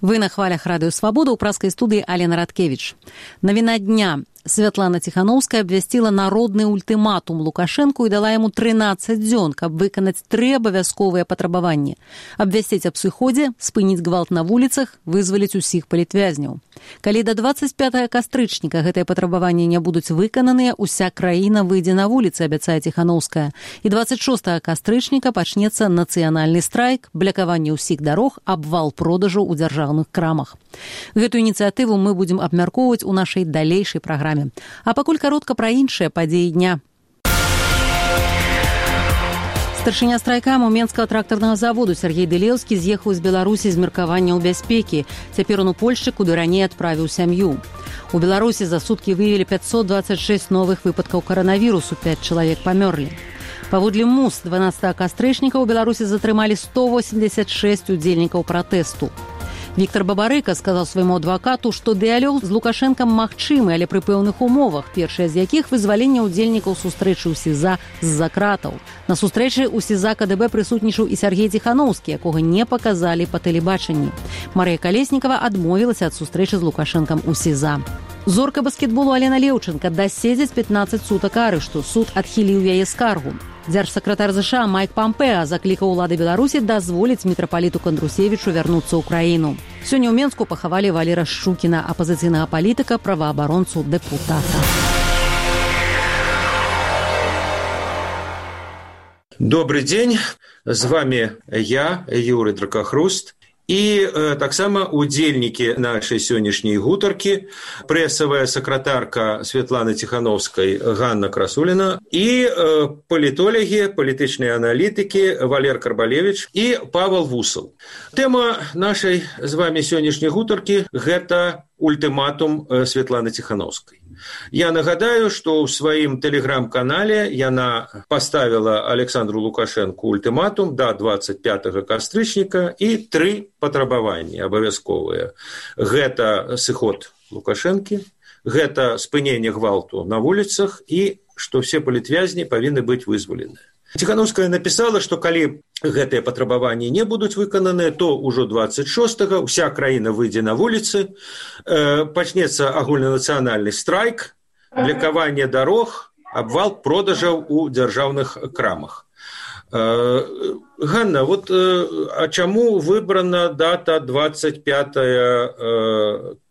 Вы на хвалях Радио Свобода, у пражской студии Алена Радкевич. Новина дня. Святлана Ціхановская абвясціла народны ультыматум Лукашэнку і дала яму 13 дзён, каб выканаць 3 абавязковыя патрабаванні. Абвясціць аб сыходзе, спыніць гвалт на вуліцах, вызваліць усіх палітвязняў. Калі да 25 кастрычніка гэтыя патрабаванні не будуць выкананыя, уся краіна выйдзе на вуліцы, абяцае Ціхановская. І 26 кастрычніка пачнецца нацыянальны страйк, блякаванне ўсіх дарог, абвал продажу ў дзяржаўных крамах. Гэту ініцыятыву мы будзем абмяркоўваць у нашай далейшай праграме. А пакуль каротка пра іншыя падзеі дня. Старшыня страйкаму Менскага трактарнага заводу Сергей Дылеўскі з'ехаў з Беларусі з меркаванняў бяспекі. Цяпер он у Польшчы, куды раней адправіў сям'ю. У Беларусі за суткі выявілі 526 новых выпадкаў каранавірусу, 5 чалавек памёрлі. Паводле МУС 12 кастрычніка ў Беларусі затрымалі 186 удзельнікаў пратэсту. Віктор Бабарыка сказаў свайму адвакату, што дыялог з Лукашэнкам магчымы, але пры пэўных умовах, першая з якіх вызваленне ўдзельнікаў сустрэчы ў СІЗА з-за кратаў. На сустрэчы ў СІЗА КДБ прысутнічаў і Сергей Ціхановскі, якога не паказалі па тэлебачанні. Марыя Калеснікава адмовілася ад сустрэчы з Лукашэнкам у СІЗА. Зорка баскетболу Алена Леўчынка даседзіць 15 сутак арышту. Суд адхіліў яе скаргу. Дзяржсакратар ЗША Майк Пампеа заклікаў улады Беларусі дазволіць мітрапаліту Кандрусевічу вярнуцца ў краіну. Сёння ў Менску пахавалі Валера Шчукіна, апазіцыйнага палітыка, праваабаронцу, дэпутата. Добрый день, з вами я, Юрий Дракахруст. І таксама удзельнікі нашай сённяшняй гутаркі, прэсавая сакратарка Святланы Ціхановскай Ганна Красуліна і палітолагі, палітычныя аналітыкі Валер Карбалевіч і Павел Вусал. Тэма нашай з вами сённяшняй гутаркі – гэта ультыматум Святланы Ціхановскай. Я нагадаю, што ў сваім тэлеграм-канале яна паставіла Александру Лукашэнку ультыматум да 25 кастрычніка і 3 патрабаванні абавязковыя. Гэта сыход Лукашэнкі, гэта спыненне гвалту на вуліцах і што все палітвязні павінны быць вызваленыя. Ціхановская напісала, што калі гэтыя патрабаванні не будуць выкананыя, то ўжо 26-го ўся краіна выйдзе на вуліцы, пачнецца агульнанацыянальны страйк, блякаванне дарог, абвал продажаў у дзяржаўных крамах. Ганна, вот а чаму выбрана дата 25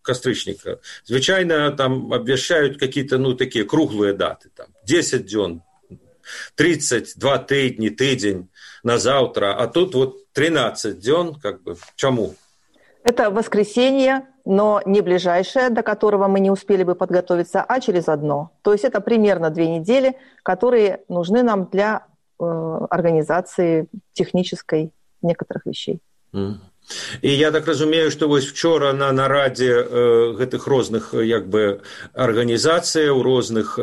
кастрычніка? Звычайна там абвяшчаюць какие-то, такія круглыя даты, там 10 дзён, 32 тыдні, тыдзень на завтра, а тут вот 13 дзён, чему? Это воскресенье, но не ближайшее, до которого мы не успели бы подготовиться, а через одно. То есть это примерно 2 недели, которые нужны нам для организации технической некоторых вещей. І я так разумею, што вось вчора на нарадзе гэтых розных арганізацыяў, розных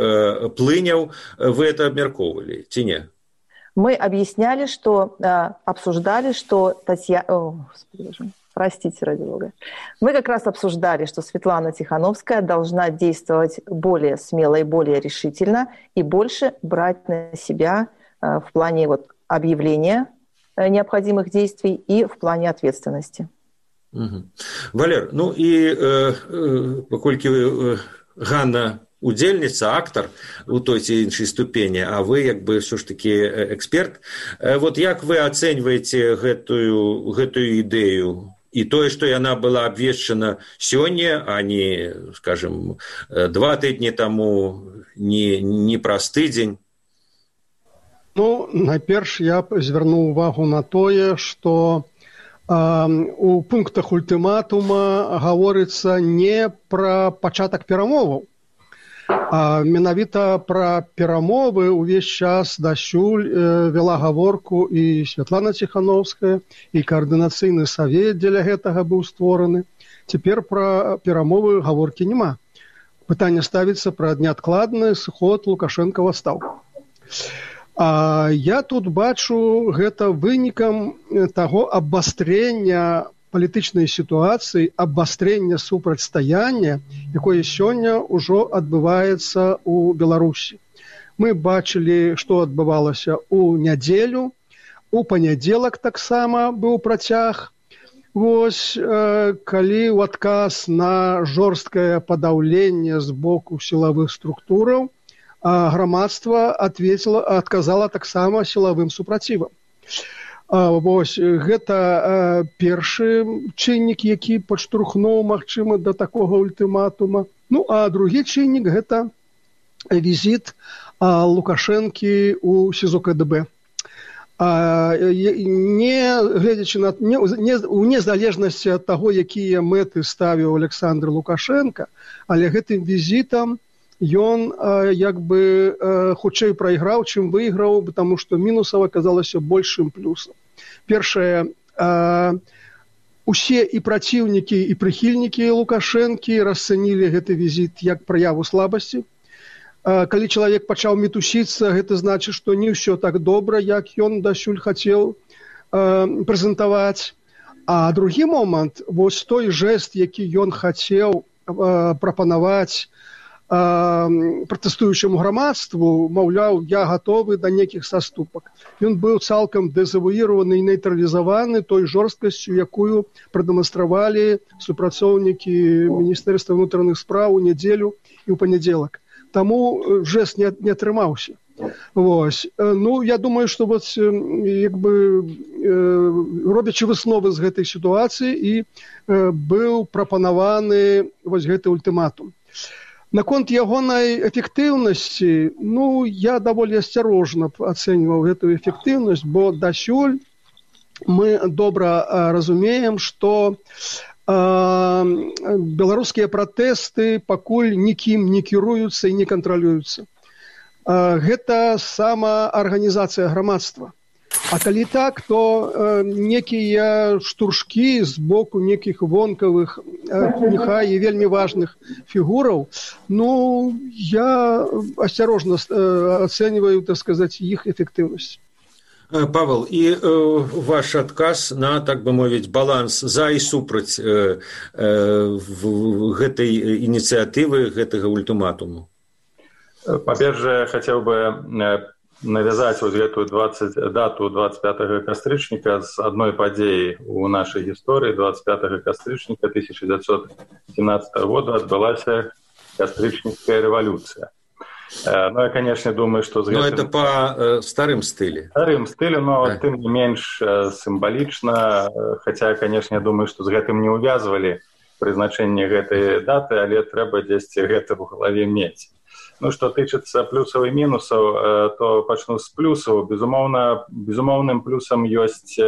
плыняў вы это абмяркоўвалі, ці не? Мы объясняли, что обсуждали, что простите, ради бога. Мы как раз обсуждали, что Светлана Ціхановская должна действовать более смело и более решительно и больше брать на себя в плане объявления необходимых действий и в плане ответственности. Валер, і паколькі Ганна удзельніца, актар у той ці іншай ступені, а вы все ж таки эксперт, вот як вы ацэньваеце гэтую ідэю і тое, што яна была абвешчана сёння, а не, скажем, 2 тыдні таму, не праз тыдзень? Найперш я звярну увагу на тое, што у пунктах ультыматума гаворыцца не пра пачатак перамоваў, а менавіта пра перамовы ўвесь час дасюль вела гаворку і Святлана Ціхановская, і каардынацыйны савет дзеля гэтага быў створаны. Цяпер пра перамовы гаворкі няма. Пытанне ставіцца пра неадкладны сыход Лукашэнка ў адстаўку. А я тут бачу гэта вынікам таго абвастрэння палітычнай сітуацыі, абвастрэння супрацьстаяння, якое сёння ўжо адбываецца ў Беларусі. Мы бачылі, што адбывалася ў нядзелю, у панядзелак таксама быў працяг Вось, калі ў адказ на жорсткае падаўленне з боку сілавых структураў, грамадства адказала таксама сілавым супрацівам. Вось, гэта першы чыннік, які падштурхнуў, магчыма, да такога ультыматума. Ну, а другі чыннік – гэта візіт Лукашэнкі ў СІЗО КДБ. Гледзячы на у незалежнасці ад таго, якія мэты ставіў Александр Лукашенко, але гэтым візітам ён як бы хутчэй прайграў, чым выйграў, потому што мінусаў аказалася большым плюсам. Першае, усе і праціўнікі, і прыхільнікі Лукашэнкі расцэнілі гэты візіт як праяву слабасці. Калі чалавек пачаў мітусіцца, гэта значыць, што не ўсё так добра, як ён дасюль хацеў прэзентаваць. А другі момант, вось той жэст, які ён хацеў прапанаваць пратэстуючаму грамадству, маўляў, я гатовы да нейкіх саступак. Ён быў цалкам дэзавуіраваны і нейтралізаваны той жорсткасцю, якую прадэманстравалі супрацоўнікі Міністэрства ўнутраных спраў у нядзелю і ў панядзелак. Таму жэст не атрымаўся. Вось. Ну, я думаю, што вот, як бы, робячы высновы з гэтай сітуацыі, і быў прапанаваны вось гэты ультыматум. Наконт ягонай эфектыўнасці, ну, я даволі асцярожна ацэньваў гэтую эфектыўнасць, бо дасюль мы добра разумеем, што беларускія пратэсты пакуль нікім не кіруюцца і не кантралююцца. Гэта самаарганізацыя грамадства. А калі так, то некія штуршкі з боку некіх вонкавых, няхай і вельмі важных фігураў, ну, я асцярожна ацэньваю, так сказаць, іх эфектыўнасць. Павел, і ваш адказ на, так бы мовіць, баланс за і супраць гэтай ініцыятывы, гэтага ультыматуму? По-перше, хотел бы навязать вот эту дату 25 кастрычніка з одной падзеі у нашай гісторыі. 25 кастрычніка 1917 года адбылася кастрычніцкая рэвалюцыя. Ну, я, конечно, думаю, что... Но это по старым стиле. Старым стиле, но тем не менш символично. Хотя, конечно, я думаю, что с гэтым не увязывали прызначэнне гэтай даты, але трэба дзесьці гэта ў галаве мець. Ну, што тычыцца плюсаў і мінусаў, то пачну з плюсаў. Безумоўным плюсам ёсць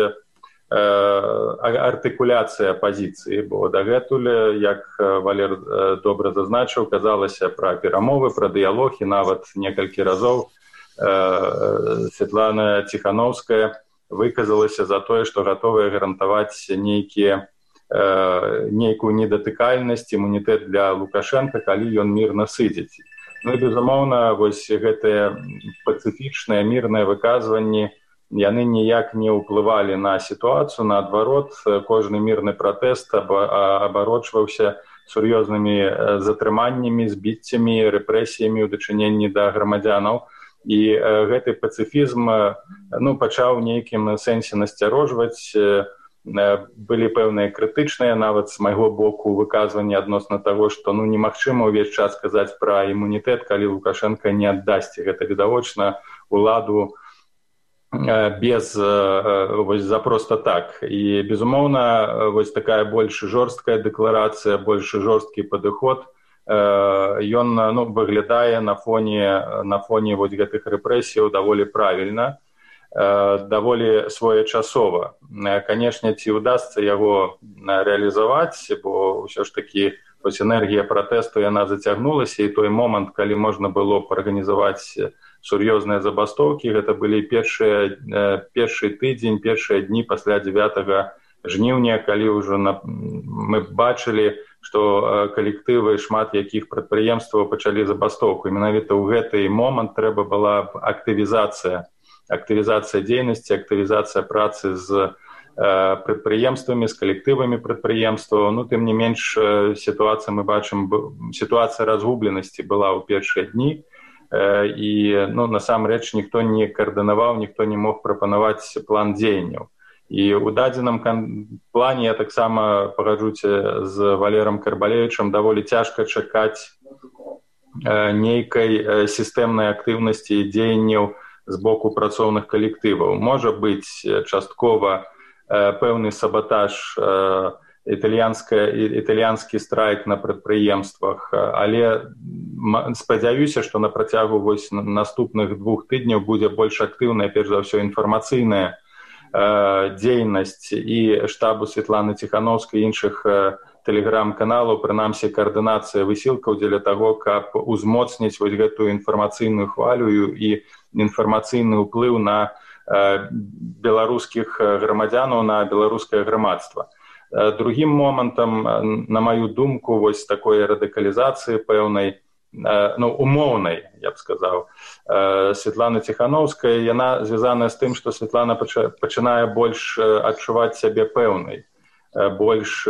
артыкуляцыя пазіцыі, бо дагэтуль, як Валер добра зазначыў, казалася пра перамовы, пра дыялог, і нават некалькі разоў Светлана Ціхановская выказалася за тое, што гатовая гарантаваць нейкую недатыкальнасць, імунітэт для Лукашенка, калі ён мірна сыдзіць. Ну і, безумоўна, вось гэтыя пацыфічныя мірныя выказванні яны ніяк не ўплывалі на сітуацыю, наадварот, кожны мірны пратэст абарочваўся сур'ёзнымі затрыманнямі, збіццямі, рэпрэсіямі ў дачыненні да грамадзянаў. І гэты пацыфізм пачаў у нейкім сэнсе насцярожваць. Былі пэўныя крытычныя, нават з майго боку, выказванні адносна таго, што немагчыма ўвесь час казаць пра імунітэт, калі Лукашенко не аддасць. Гэта відавочна уладу без за просто так. І, безумоўна, вось такая больш жорсткая дэкларацыя, больш жорсткі падыход, ён выглядае на фоне вось гэтых рэпрэсіяў даволі правільна, даволі своечасова. Канешне, ці ўдасца яго рэалізаваць, бо ўсё ж такі вось энергія пратэсту яна зацягнулася, і той момант, калі можна было б арганізаваць сур'ёзныя забастоўкі, гэта былі першы тыдзень, першыя дні пасля 9 жніўня, калі ўжо мы бачылі, што калектывы, шмат якіх прадпрыемстваў пачалі забастоўку. Менавіта ў гэты момант трэба была актывізацыя дзейнасці, актывізацыя працы з прадпрыемствамі, з калектывамі прадпрыемстваў. Тым не менш, сітуацыя, мы бачым, сітуацыя разгубленасці была ў першыя дні, і насамрэч ніхто не каардынаваў, ніхто не мог прапанаваць план дзеянняў. І ў дадзеным плане я таксама пагаджуся з Валером Карбалевічам, даволі цяжка чакаць нейкай сістэмнай актыўнасці і дзеянняў з боку працоўных калектываў. Можа быць часткова пэўны сабатаж, італьянскі страйк на прадпрыемствах, але спадзяюся, што на працягу наступных 2 тыдняў будзе больш актыўная, перш за ўсё, інфармацыйная дзейнасць і штабу Светланы Ціхановскай і іншых тэлеграм-каналаў, прынамсі каардынацыя высілкаў дзеля таго, каб узмоцніць гэтую інфармацыйную хвалю і інфармацыйны ўплыў на беларускіх грамадзянаў, на беларускае грамадства. Другім момантам, на маю думку, такой радыкалізацыі пэўнай, умоўнай, я б сказаў, Светланы Ціхановскай, яна звязаная з тым, што Светлана пачынае больш адчуваць сябе пэўнай, больш,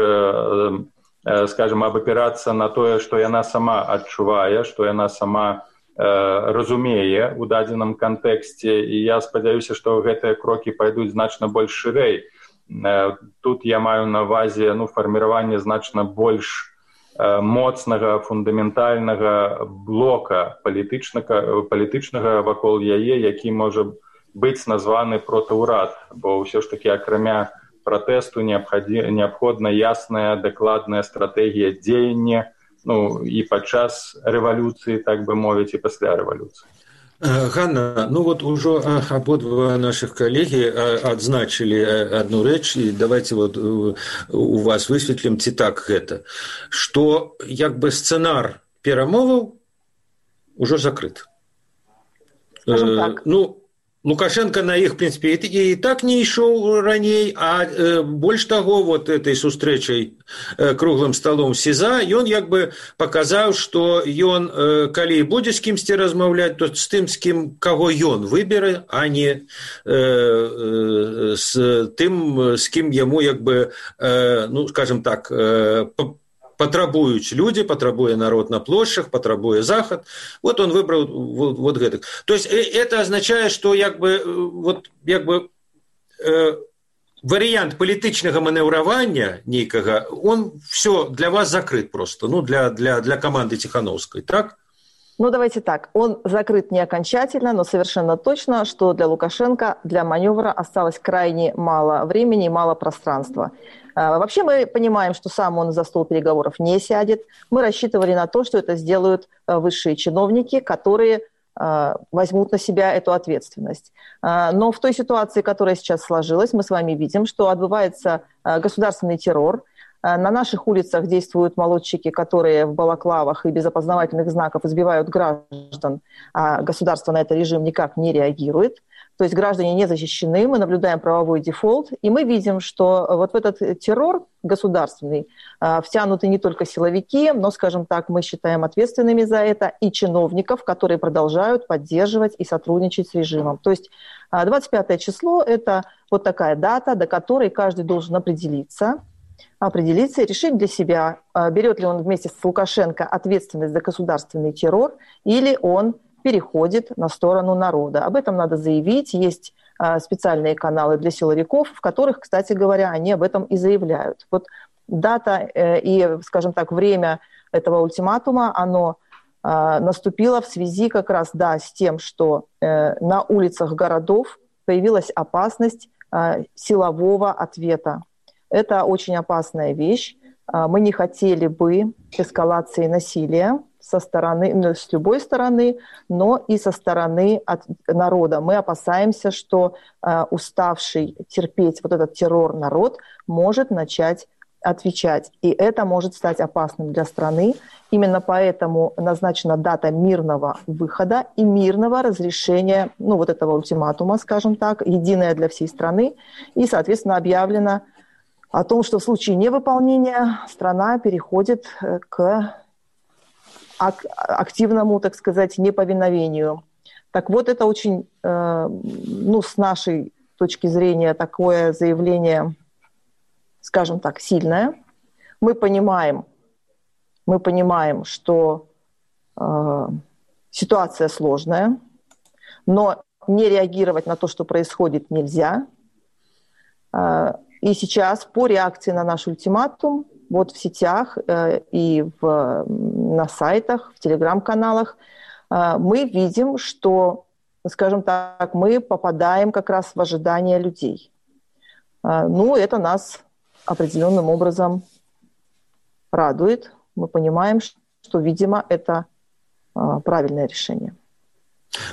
скажем, абапірацца на тое, што яна сама адчувае, што яна сама разумее ў дадзеным кантэксце, і я спадзяюся, што гэтыя крокі пайдуць значна больш шырэй. Тут я маю на ўвазе фарміраванне значна больш моцнага, фундаментальнага блока палітычнага вакол яе, які можа быць названы протаўрад, бо ўсё ж такі акрамя пратэсту неабходна ясная, дакладная стратэгія дзеяння, і падчас рэвалюцыі, так бы мовіць, і пасля рэвалюцыі. Ганна, ужо абодва нашых калегі адзначылі адну рэч, і давайте у вас высветлім, ці так гэта, што сцэнар перамоваў ужо закрыт. Так. Лукашенко на іх, в прынцыпе, і так не ішоў раней, а больш таго, этой сустрэчай круглым сталом СІЗА, ён паказаў, што ён, калі будзе з кімсьці размаўляць, то з тым, з кім, каго ён выберэ, а не з тым, з кім яму, скажем так, патрабуюць людзі, патрабуе народ на плошчах, патрабуе захад. Он выбраў гэтак. То есть это означает, что варыянт палітычнага манеўравання нейкага, он все для вас закрыт просто, для команды Тихановской, так? Давайте так. Он закрыт не окончательно, но совершенно точно, что для Лукашенко, для маневра осталось крайне мало времени и мало пространства. Вообще мы понимаем, что сам он за стол переговоров не сядет. Мы рассчитывали на то, что это сделают высшие чиновники, которые возьмут на себя эту ответственность. Но в той ситуации, которая сейчас сложилась, мы с вами видим, что отбывается государственный террор. На наших улицах действуют молодчики, которые в балаклавах и без опознавательных знаков избивают граждан, а государство на этот режим никак не реагирует. То есть граждане не защищены, мы наблюдаем правовой дефолт, и мы видим, что в этот террор государственный втянуты не только силовики, но, скажем так, мы считаем ответственными за это и чиновников, которые продолжают поддерживать и сотрудничать с режимом. То есть 25 число – это такая дата, до которой каждый должен определиться и решить для себя, берет ли он вместе с Лукашенко ответственность за государственный террор или он переходит на сторону народа. Об этом надо заявить. Есть специальные каналы для силовиков, в которых, кстати говоря, они об этом и заявляют. Дата и, скажем так, время этого ультиматума, оно наступило в связи как раз, с тем, что на улицах городов появилась опасность силового ответа. Это очень опасная вещь. Мы не хотели бы эскалации насилия со стороны, с любой стороны, но и со стороны народа. Мы опасаемся, что уставший терпеть этот террор народ может начать отвечать. И это может стать опасным для страны. Именно поэтому назначена дата мирного выхода и мирного разрешения этого ультиматума, скажем так, единая для всей страны. И, соответственно, объявлено о том, что в случае невыполнения страна переходит к активному, так сказать, неповиновению. Так это очень, с нашей точки зрения, такое заявление, скажем так, сильное. Мы понимаем, что ситуация сложная, но не реагировать на то, что происходит, нельзя. И сейчас по реакции на наш ультиматум вот в сетях и на сайтах, в телеграм-каналах мы видим, что, скажем так, мы попадаем как раз в ожидания людей. Ну, это нас определенным образом радует. Мы понимаем, что, видимо, это правильное решение.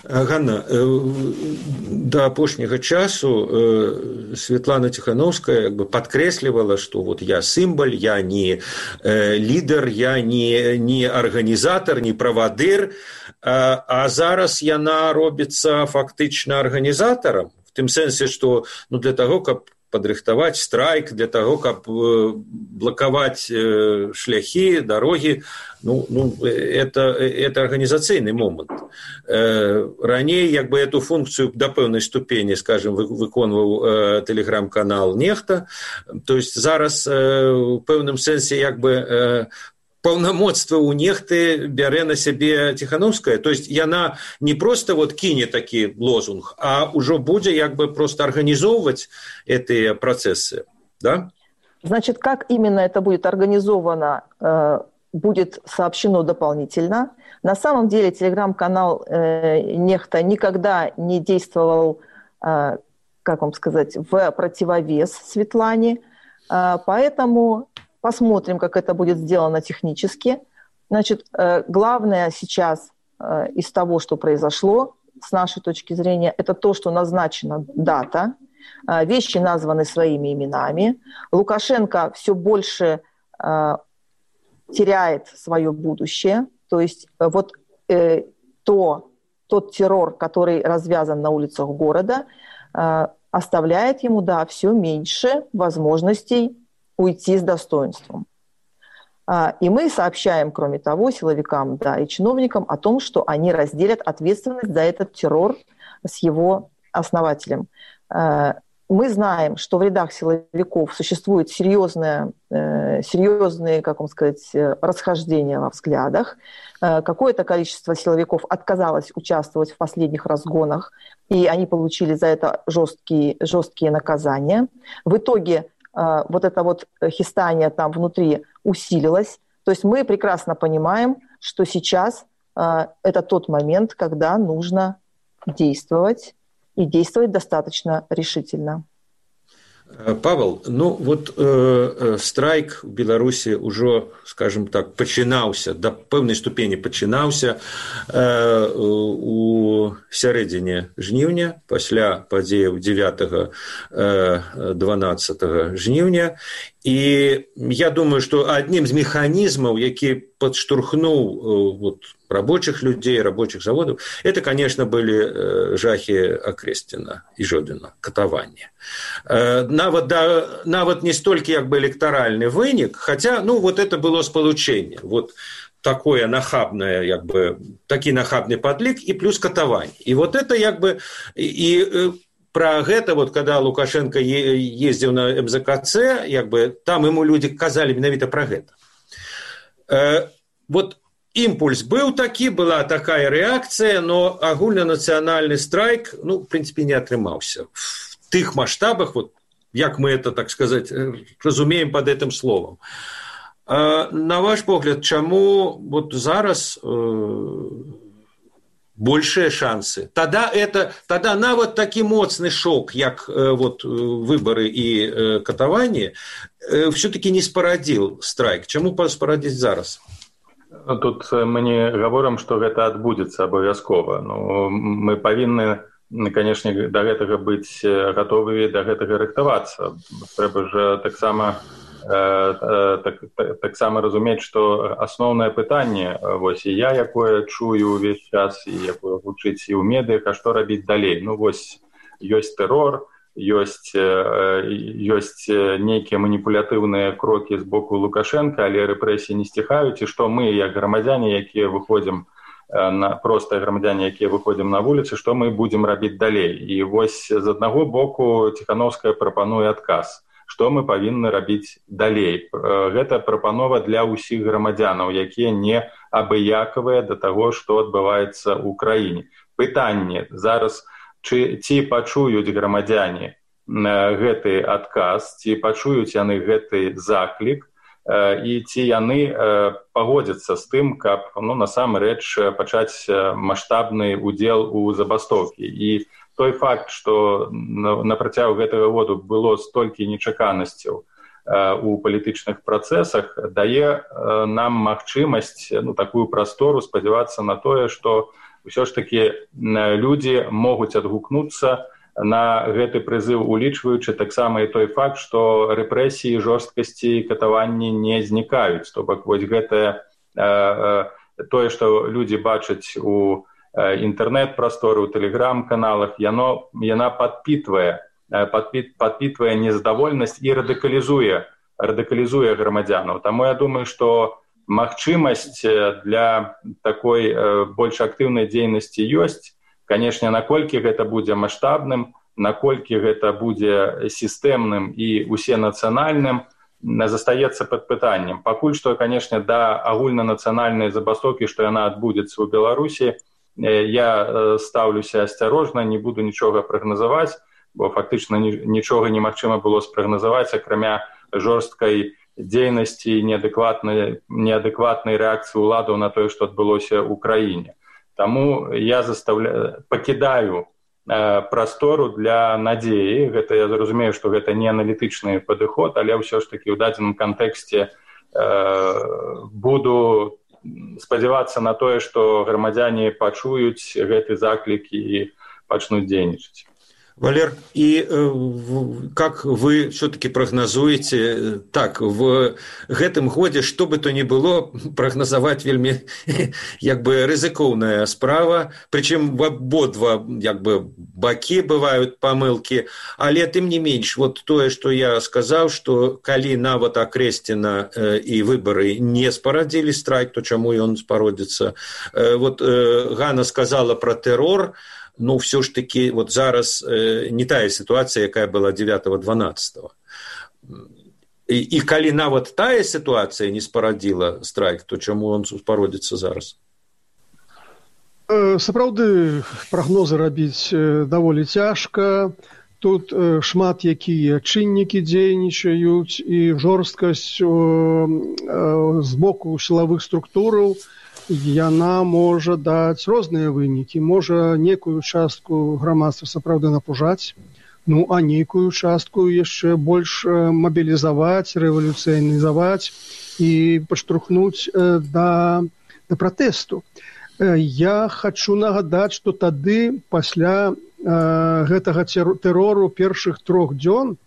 Ганна, до апошняга часу Светлана Тихановская подкрэслівала, что вот я сімбаль, я не лідар, я не арганізатар, не правадыр, а зараз яна робіцца фактычна арганізатарам, в тым сэнсе, что для того, каб падрыхтаваць страйк, для того, каб блокаваць шляхі, дарогі, это организационный момент. Раней эту функцию до пэўнай ступені, скажем, выконваў телеграм-канал нехта. То есть зараз в пэўным сэнсе паўнамоцтва ў нехты бярэ на сябе Тихановская. То есть яна не просто кине такі лозунг, а ўжо будзе просто организовывать эти процессы, да? Значит, как именно это будет организовано, будет сообщено дополнительно. На самом деле телеграм-канал нехта никогда не действовал, как вам сказать, в противовес Светлане, поэтому посмотрим, как это будет сделано технически. Значит, главное сейчас из того, что произошло, с нашей точки зрения, это то, что назначена дата, вещи названы своими именами. Лукашенко все больше теряет свое будущее. То есть тот террор, который развязан на улицах города, оставляет ему, все меньше возможностей уйти с достоинством. И мы сообщаем, кроме того, силовикам и чиновникам о том, что они разделят ответственность за этот террор с его основателем. Мы знаем, что в рядах силовиков существуют серьезные, как вам сказать, расхождения во взглядах. Какое-то количество силовиков отказалось участвовать в последних разгонах, и они получили за это жесткие наказания. В итоге это хистание там внутри усилилось. То есть мы прекрасно понимаем, что сейчас это тот момент, когда нужно действовать, и действовать достаточно решительно. Павел, страйк в Беларуси уже, скажем так, пачынаўся, до пэўнай ступені пачынаўся у сярэдзіне жніўня, пасля падзеяў 9-12 жніўня. И я думаю, что одним из механизмов, які подштурхнул рабочих людей, рабочих заводов, это, конечно, были жахи Окрестина и Жодина, катаванне. Нават не столько электоральный вынік, хотя, это было сполучение. Такое нахабное, такі нахабный подлік и плюс катаванне. И это про гэта, когда Лукашенко ездил на МЗКЦ, там ему люди казали менавіта про гэта. Імпульс быў такі, была такая реакция, но агульнанациональный страйк, в принципе, не атрымаўся. В тых масштабах, як мы это, так сказать, разумеем под этим словом. На ваш погляд, чаму зараз большие шансы? Тогда нават такі моцны шок, як выборы и катаванне, все-таки не спарадзіў страйк. Чаму спарадзіць зараз? Тут мы не говорим, что это адбудзецца абавязкова. Мы павінны, конечно, до гэтага быць готовы, до гэтага рыхтавацца. Трэба же таксама разумець, что асноўнае пытанне, і я, якое чую увесь час, і якое гучыць і ў медыях, а што рабіць далей? Ёсць тэрор, ёсць нейкія маніпулятыўныя крокі з боку Лукашенко, але рэпрэсіі не сціхаюць, і што мы, як грамадзяне, якія выходзім простыя грамадзяне, якія выходзім на вуліцы, што мы будзем рабіць далей? І з аднаго боку Тихановская прапануе адказ. Што мы павінны рабіць далей? Гэта прапанова для ўсіх грамадзянаў, якія не абыякавыя да таго, што адбываецца ў краіне. Пытанне зараз, ці пачуюць грамадзяне гэты адказ, ці пачуюць яны гэты заклік, і ці яны пагодзяцца з тым, каб насамрэч пачаць маштабны удзел у забастоўкі. І той факт, што на працягу гэтага году было столькі нечаканасцяў у палітычных працэсах, дае нам магчымасць, такую прастору спадзявацца на тое, што ўсё ж такі людзі могуць адгукнуцца на гэты прызыў, улічваючы таксама і той факт, што рэпрэсіі, жорсткасці і катаванні не знікаюць. То бок вось гэтае тое, што людзі бачаць у інтэрнэт-прасторы, у тэлеграм-каналах, яна падпітвае незадаволенасць і радыкалізуе грамадзянаў. Таму я думаю, што магчымасць для такой больш актыўнай дзейнасці ёсць. Канешне, наколькі гэта будзе маштабным, наколькі гэта будзе сістэмным і усенацыянальным, застаецца пад пытаннем. Пакуль што, канешне, да агульнанацыянальнай забастоўкі, што яна адбудзецца ў Беларусі, я стаўлюся асцярожна, не буду нічога прагназаваць, бо фактычна нічога немагчыма было спрагназаваць, акрамя жорсткай дзейнасці і неадэкватнай рэакцыі ўладаў на тое, што адбылося ў краіне. Таму я пакідаю прастору для надзеі. Гэта я зразумею, што гэта не аналітычны падыход, але ўсё ж такі ў дадзеным кантэксце буду спадзявацца на тое, што грамадзяне пачуюць гэты заклік і пачнуць дзейнічаць. Валер, и как вы все-таки прогнозуете, так, в гэтым годзе, что бы то ни было, прогнозовать вельмі, рызыкоўная справа, причем в ободва, бакі бывают помылки, але тым не менш, вот тое, что я сказал, что калі нават акрэсціна и выборы не спарадзілі страйк, то чаму ён спародзіцца? Вот Ганна сказала про террор, но все ж таки вот зараз не тая ситуация, якая была 9-12. И калі нават тая ситуация не спарадзіла страйк, то чаму он спародзіцца зараз? Сапраўды, прагнозы рабіць даволі цяжка. Тут шмат якія чыннікі дзейнічаюць, і жорсткасць з боку сілавых структураў яна можа даць розныя вынікі. Можа некую частку грамадства сапраўды напужаць, а нейкую частку яшчэ больш мабілізаваць, рэвалюцыянізаваць і падштурхнуць да пратэсту. Я хачу нагадаць, што тады, пасля гэтага тэрору першых 3 дзён,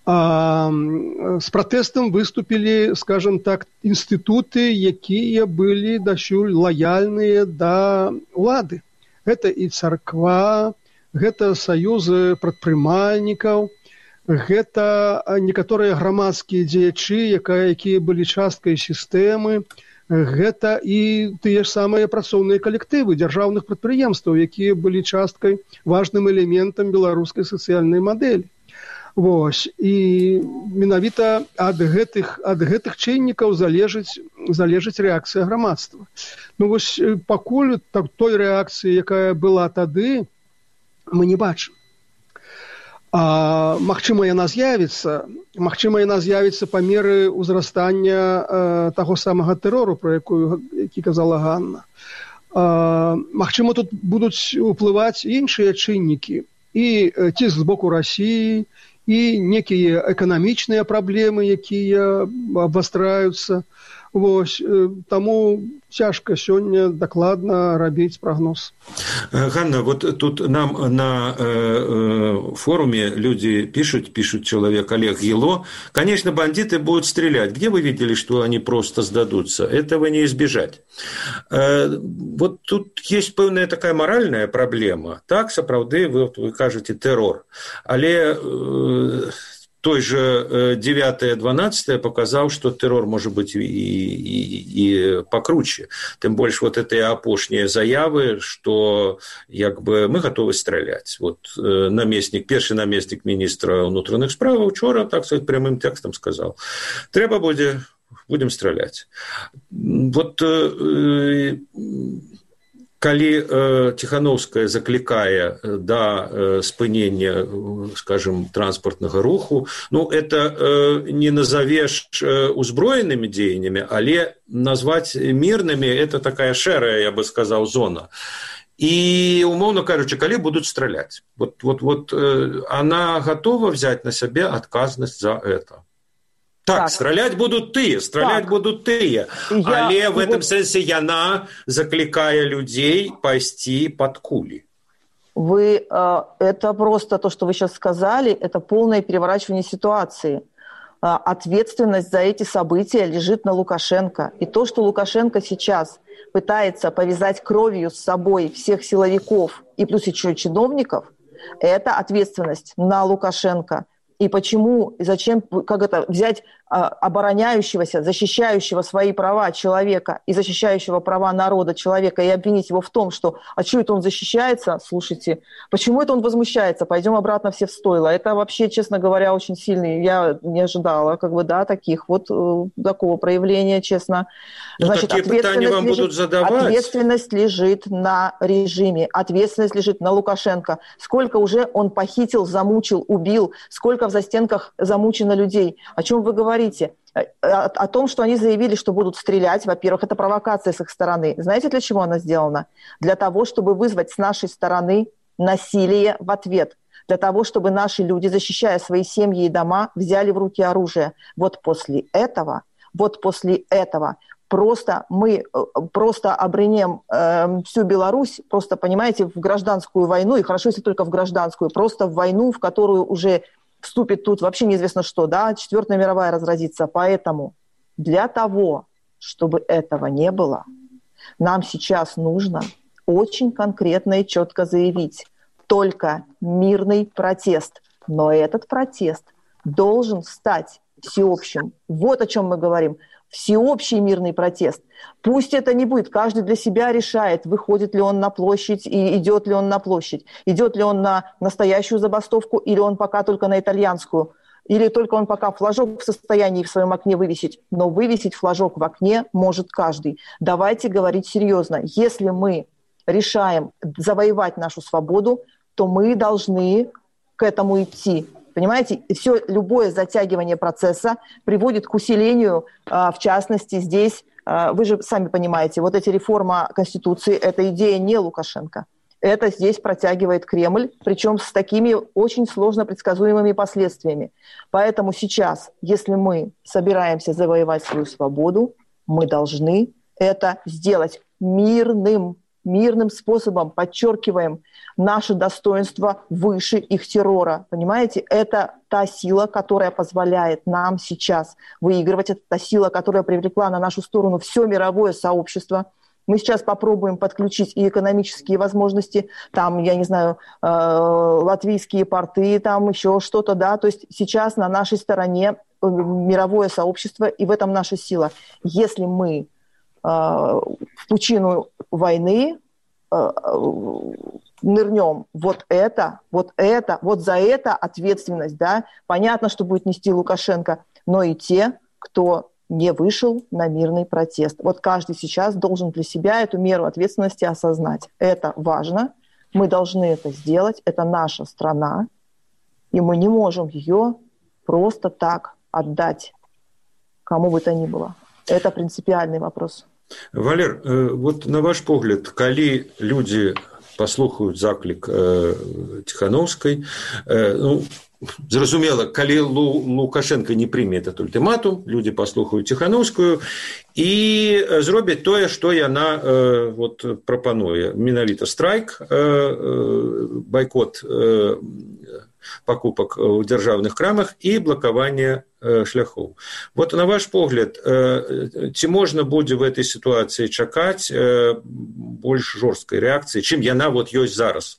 з пратэстам выступілі, скажем так, інстытуты, якія былі дасюль лаяльныя да ўлады. Гэта і царква, гэта саюзы прадпрымальнікаў, гэта некаторыя грамадскія дзеячы, якія былі часткай сістэмы, гэта і тыя ж самыя працоўныя калектывы дзяржаўных прадпрыемстваў, якія былі часткай, важным элементам беларускай сацыяльнай мадэлі. Вось, і менавіта ад гэтых чыннікаў залежыць рэакцыя грамадства. Вось, пакуль той рэакцыі, якая была тады, мы не бачым. Магчыма, яна з'явіцца па меры ўзрастання таго самага тэрору, про які казала Ганна. Магчыма, тут будуць уплываць іншыя чыннікі, і ціск з боку Расіі, і некія эканамічныя праблемы, якія абвастраюцца. Вось, таму цяжка сёння дакладна рабіць прагноз. Ганна, вот тут нам на форуме люди пишут человек Олег Ело, конечно, бандиты будут стрелять. Где вы видели, что они просто сдадутся? Этого не избежать. Вот тут есть пэўная такая моральная проблема. Так, сапраўды, вы кажете, террор. Але той же 9-12 показал, что террор может быть и покруче. Тем больше вот эти опошние заявы, что мы готовы стрелять. Вот перший наместник министра внутренних справ вчора, так сказать, прямым текстом сказал. Треба будем стрелять. Вот Калі Ціхановская заклікае да спынення, скажем, транспартнага руху, это не назовеш узброенымі дзеяннямі, але назваць мірнымі – это такая шэрая, я бы сказаў, зона. И, умовно кажучи, калі будут стрелять. Вот она готова взять на себе отказность за это. Так, стрелять будут тыя. Але в этом сенсе яна закликая людей пойти под кули. Это просто то, что вы сейчас сказали, это полное переворачивание ситуации. Ответственность за эти события лежит на Лукашенко. И то, что Лукашенко сейчас пытается повязать кровью с собой всех силовиков и плюс еще чиновников, это ответственность на Лукашенко. И почему, и зачем, взять обороняющегося, защищающего свои права человека и защищающего права народа человека и обвинить его в том, что а что это он защищается? Слушайте, почему это он возмущается? Пойдем обратно все в стойло. Это вообще, честно говоря, очень сильный. Я не ожидала, такого проявления, честно. Значит, такие питания вам будут задавать. Ответственность лежит на режиме, ответственность лежит на Лукашенко. Сколько уже он похитил, замучил, убил, сколько в застенках замучено людей. О чем вы говорите? О том, что они заявили, что будут стрелять. Во-первых, это провокация с их стороны. Знаете, для чего она сделана? Для того, чтобы вызвать с нашей стороны насилие в ответ. Для того, чтобы наши люди, защищая свои семьи и дома, взяли в руки оружие. Вот после этого мы обренем всю Беларусь, просто, понимаете, в гражданскую войну, и хорошо, если только в гражданскую, просто в войну, в которую уже вступит тут вообще неизвестно что, Четвертая мировая разразится. Поэтому для того, чтобы этого не было, нам сейчас нужно очень конкретно и четко заявить только мирный протест. Но этот протест должен стать всеобщим. Вот о чем мы говорим. Всеобщий мирный протест. Пусть это не будет, каждый для себя решает, выходит ли он на площадь и идет ли он на площадь, идет ли он на настоящую забастовку или он пока только на итальянскую, или только он пока флажок в состоянии в своем окне вывесить. Но вывесить флажок в окне может каждый. Давайте говорить серьезно. Если мы решаем завоевать нашу свободу, то мы должны к этому идти. Понимаете, любое затягивание процесса приводит к усилению, в частности, здесь, вы же сами понимаете, вот эта реформа Конституции, это идея не Лукашенко. Это здесь протягивает Кремль, причем с такими очень сложно предсказуемыми последствиями. Поэтому сейчас, если мы собираемся завоевать свою свободу, мы должны это сделать мирным способом, подчеркиваем наше достоинство выше их террора. Понимаете, это та сила, которая позволяет нам сейчас выигрывать, это та сила, которая привлекла на нашу сторону все мировое сообщество. Мы сейчас попробуем подключить и экономические возможности, там, я не знаю, латвийские порты, там еще что-то, то есть сейчас на нашей стороне мировое сообщество, и в этом наша сила. Если мы в пучину войны нырнем, вот за это ответственность, понятно, что будет нести Лукашенко, но и те, кто не вышел на мирный протест. Вот каждый сейчас должен для себя эту меру ответственности осознать. Это важно, мы должны это сделать, это наша страна, и мы не можем ее просто так отдать кому бы то ни было. Это принципиальный вопрос. Валер, вот на ваш погляд, калі люди паслухаюць заклік Ціхановскай, зразумела, калі Лукашенко не прыме этот ультыматум, люди паслухаюць Ціхановскую і зробяць тое, што яна прапануе. Менавіта страйк, бойкот покупок в державных крамах и блокирование шляхов. Вот на ваш погляд, ці можна будзе в этой ситуации чакаць больш жорсткай реакции, чем яна ёсць зараз?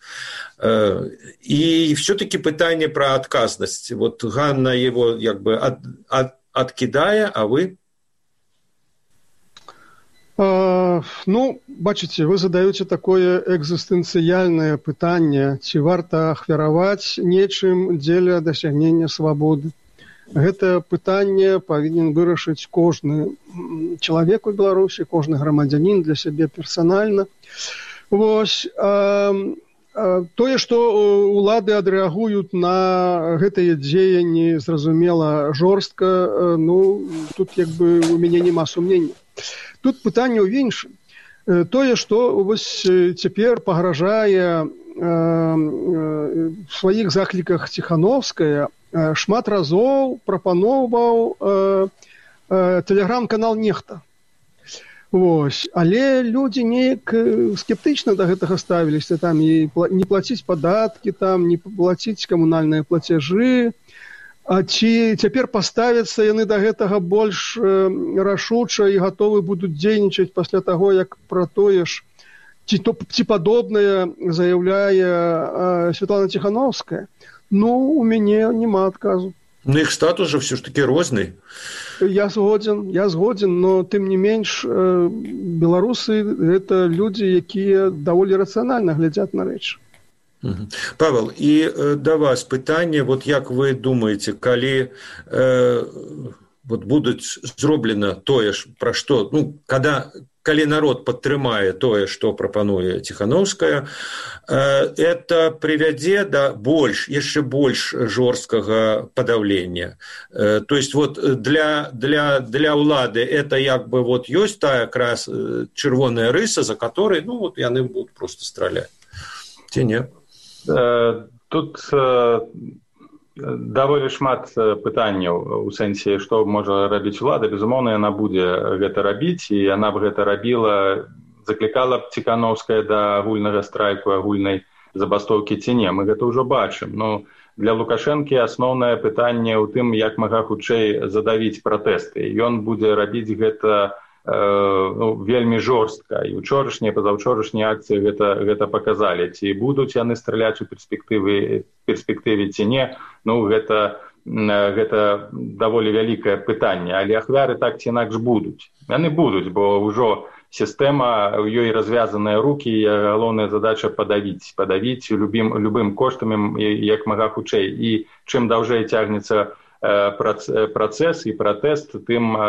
И все-таки пытание про отказность. Вот Ганна его откидая, а вы? Бачыце, вы задаеце такое экзістэнцыяльнае пытанне, ці варта ахвяраваць нечым дзеля дасягнення свабоды. Гэта пытанне павінен вырашыць кожны чалавек у Беларусі, кожны грамадзянін для сябе персанальна. Вось, тое, што ўлады адрэагуюць на гэтыя дзеянні, зразумела, жорстка, ну, тут як бы у мяне няма сумнення. Тут пытанне ў іншым. Тое, што вось цяпер пагражае в сваіх закліках Ціхановская, шмат разоў прапаноўваў тэлеграм-канал «Нехта». Вось. Але людзі неяк скептычна да гэтага ставіліся, там і не плаціць падаткі, там не плаціць камунальныя плацяжы. А ці цяпер паставяцца яны да гэтага больш рашуча і гатовы будуць дзейнічаць пасля таго, як пра тое ж ці падобнае заяўляе Святлана Ціхановская? Ну, у мяне няма адказу. Ну, іх статус жа все ж таки розны. Я згодзін, но тым не менш беларусы гэта людзі, якія даволі рацыянальна глядзяць на рэчы. Павел, і да вас пытанне, вот як вы думаеце, калі вот будуць зроблена тое ж, пра што, ну, калі народ падтрымае тое, што прапануе Ціхановская, это прывядзе да яшчэ больш жорсткага падаўлення. То есть вот для ўлады это як бы вот ёсць тая якраз чырвоная рыса, за которой, ну, вот яны будуць просто страляць. Ці не? Тут даволі шмат пытанняў у сэнсе, што можа рабіць улада. Безумоўна, яна будзе гэта рабіць, і яна б гэта рабіла, заклікала б Ціхановская да агульнага страйку, агульнай забастоўкі ці не. Мы гэта ўжо бачым. Ну, для Лукашэнкі асноўнае пытанне ў тым, як мага хутчэй задавіць пратэсты. Ён будзе рабіць гэта вельмі жорстка. І учорашнія, пазаўчорашнія акцыі гэта паказалі. Ці будуць яны страляць у перспектыве ці не, ну, гэта даволі вялікае пытанне. Але ахвяры так ці інакш будуць. Яны будуць, бо ўжо сістэма, у ёй развязаныя рукі, і галоўная задача падавіць любым коштам, як мага хутчэй. І чым даўжэй цягнецца працэс і пратэст, тым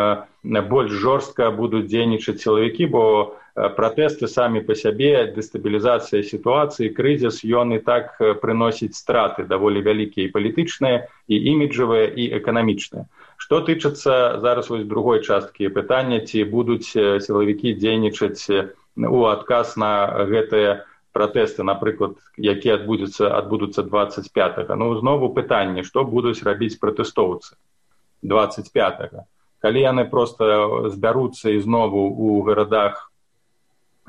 больш жорстка будуць дзейнічаць сілавікі, бо пратэсты самі па сябе, дэстабілізацыя сітуацыі, крызіс, ён і так прыносіць страты даволі вялікія і палітычныя, і іміджавыя, і эканамічныя. Што тычыцца зараз вось другой часткі пытання, ці будуць сілавікі дзейнічаць у адказ на гэтыя пратэсты, напрыклад, якія адбудуцца 25-го. Ну, знову пытанне, што будуць рабіць пратэстоўцы 25-го. Калі яны проста збяруцца ізнову ў гарадах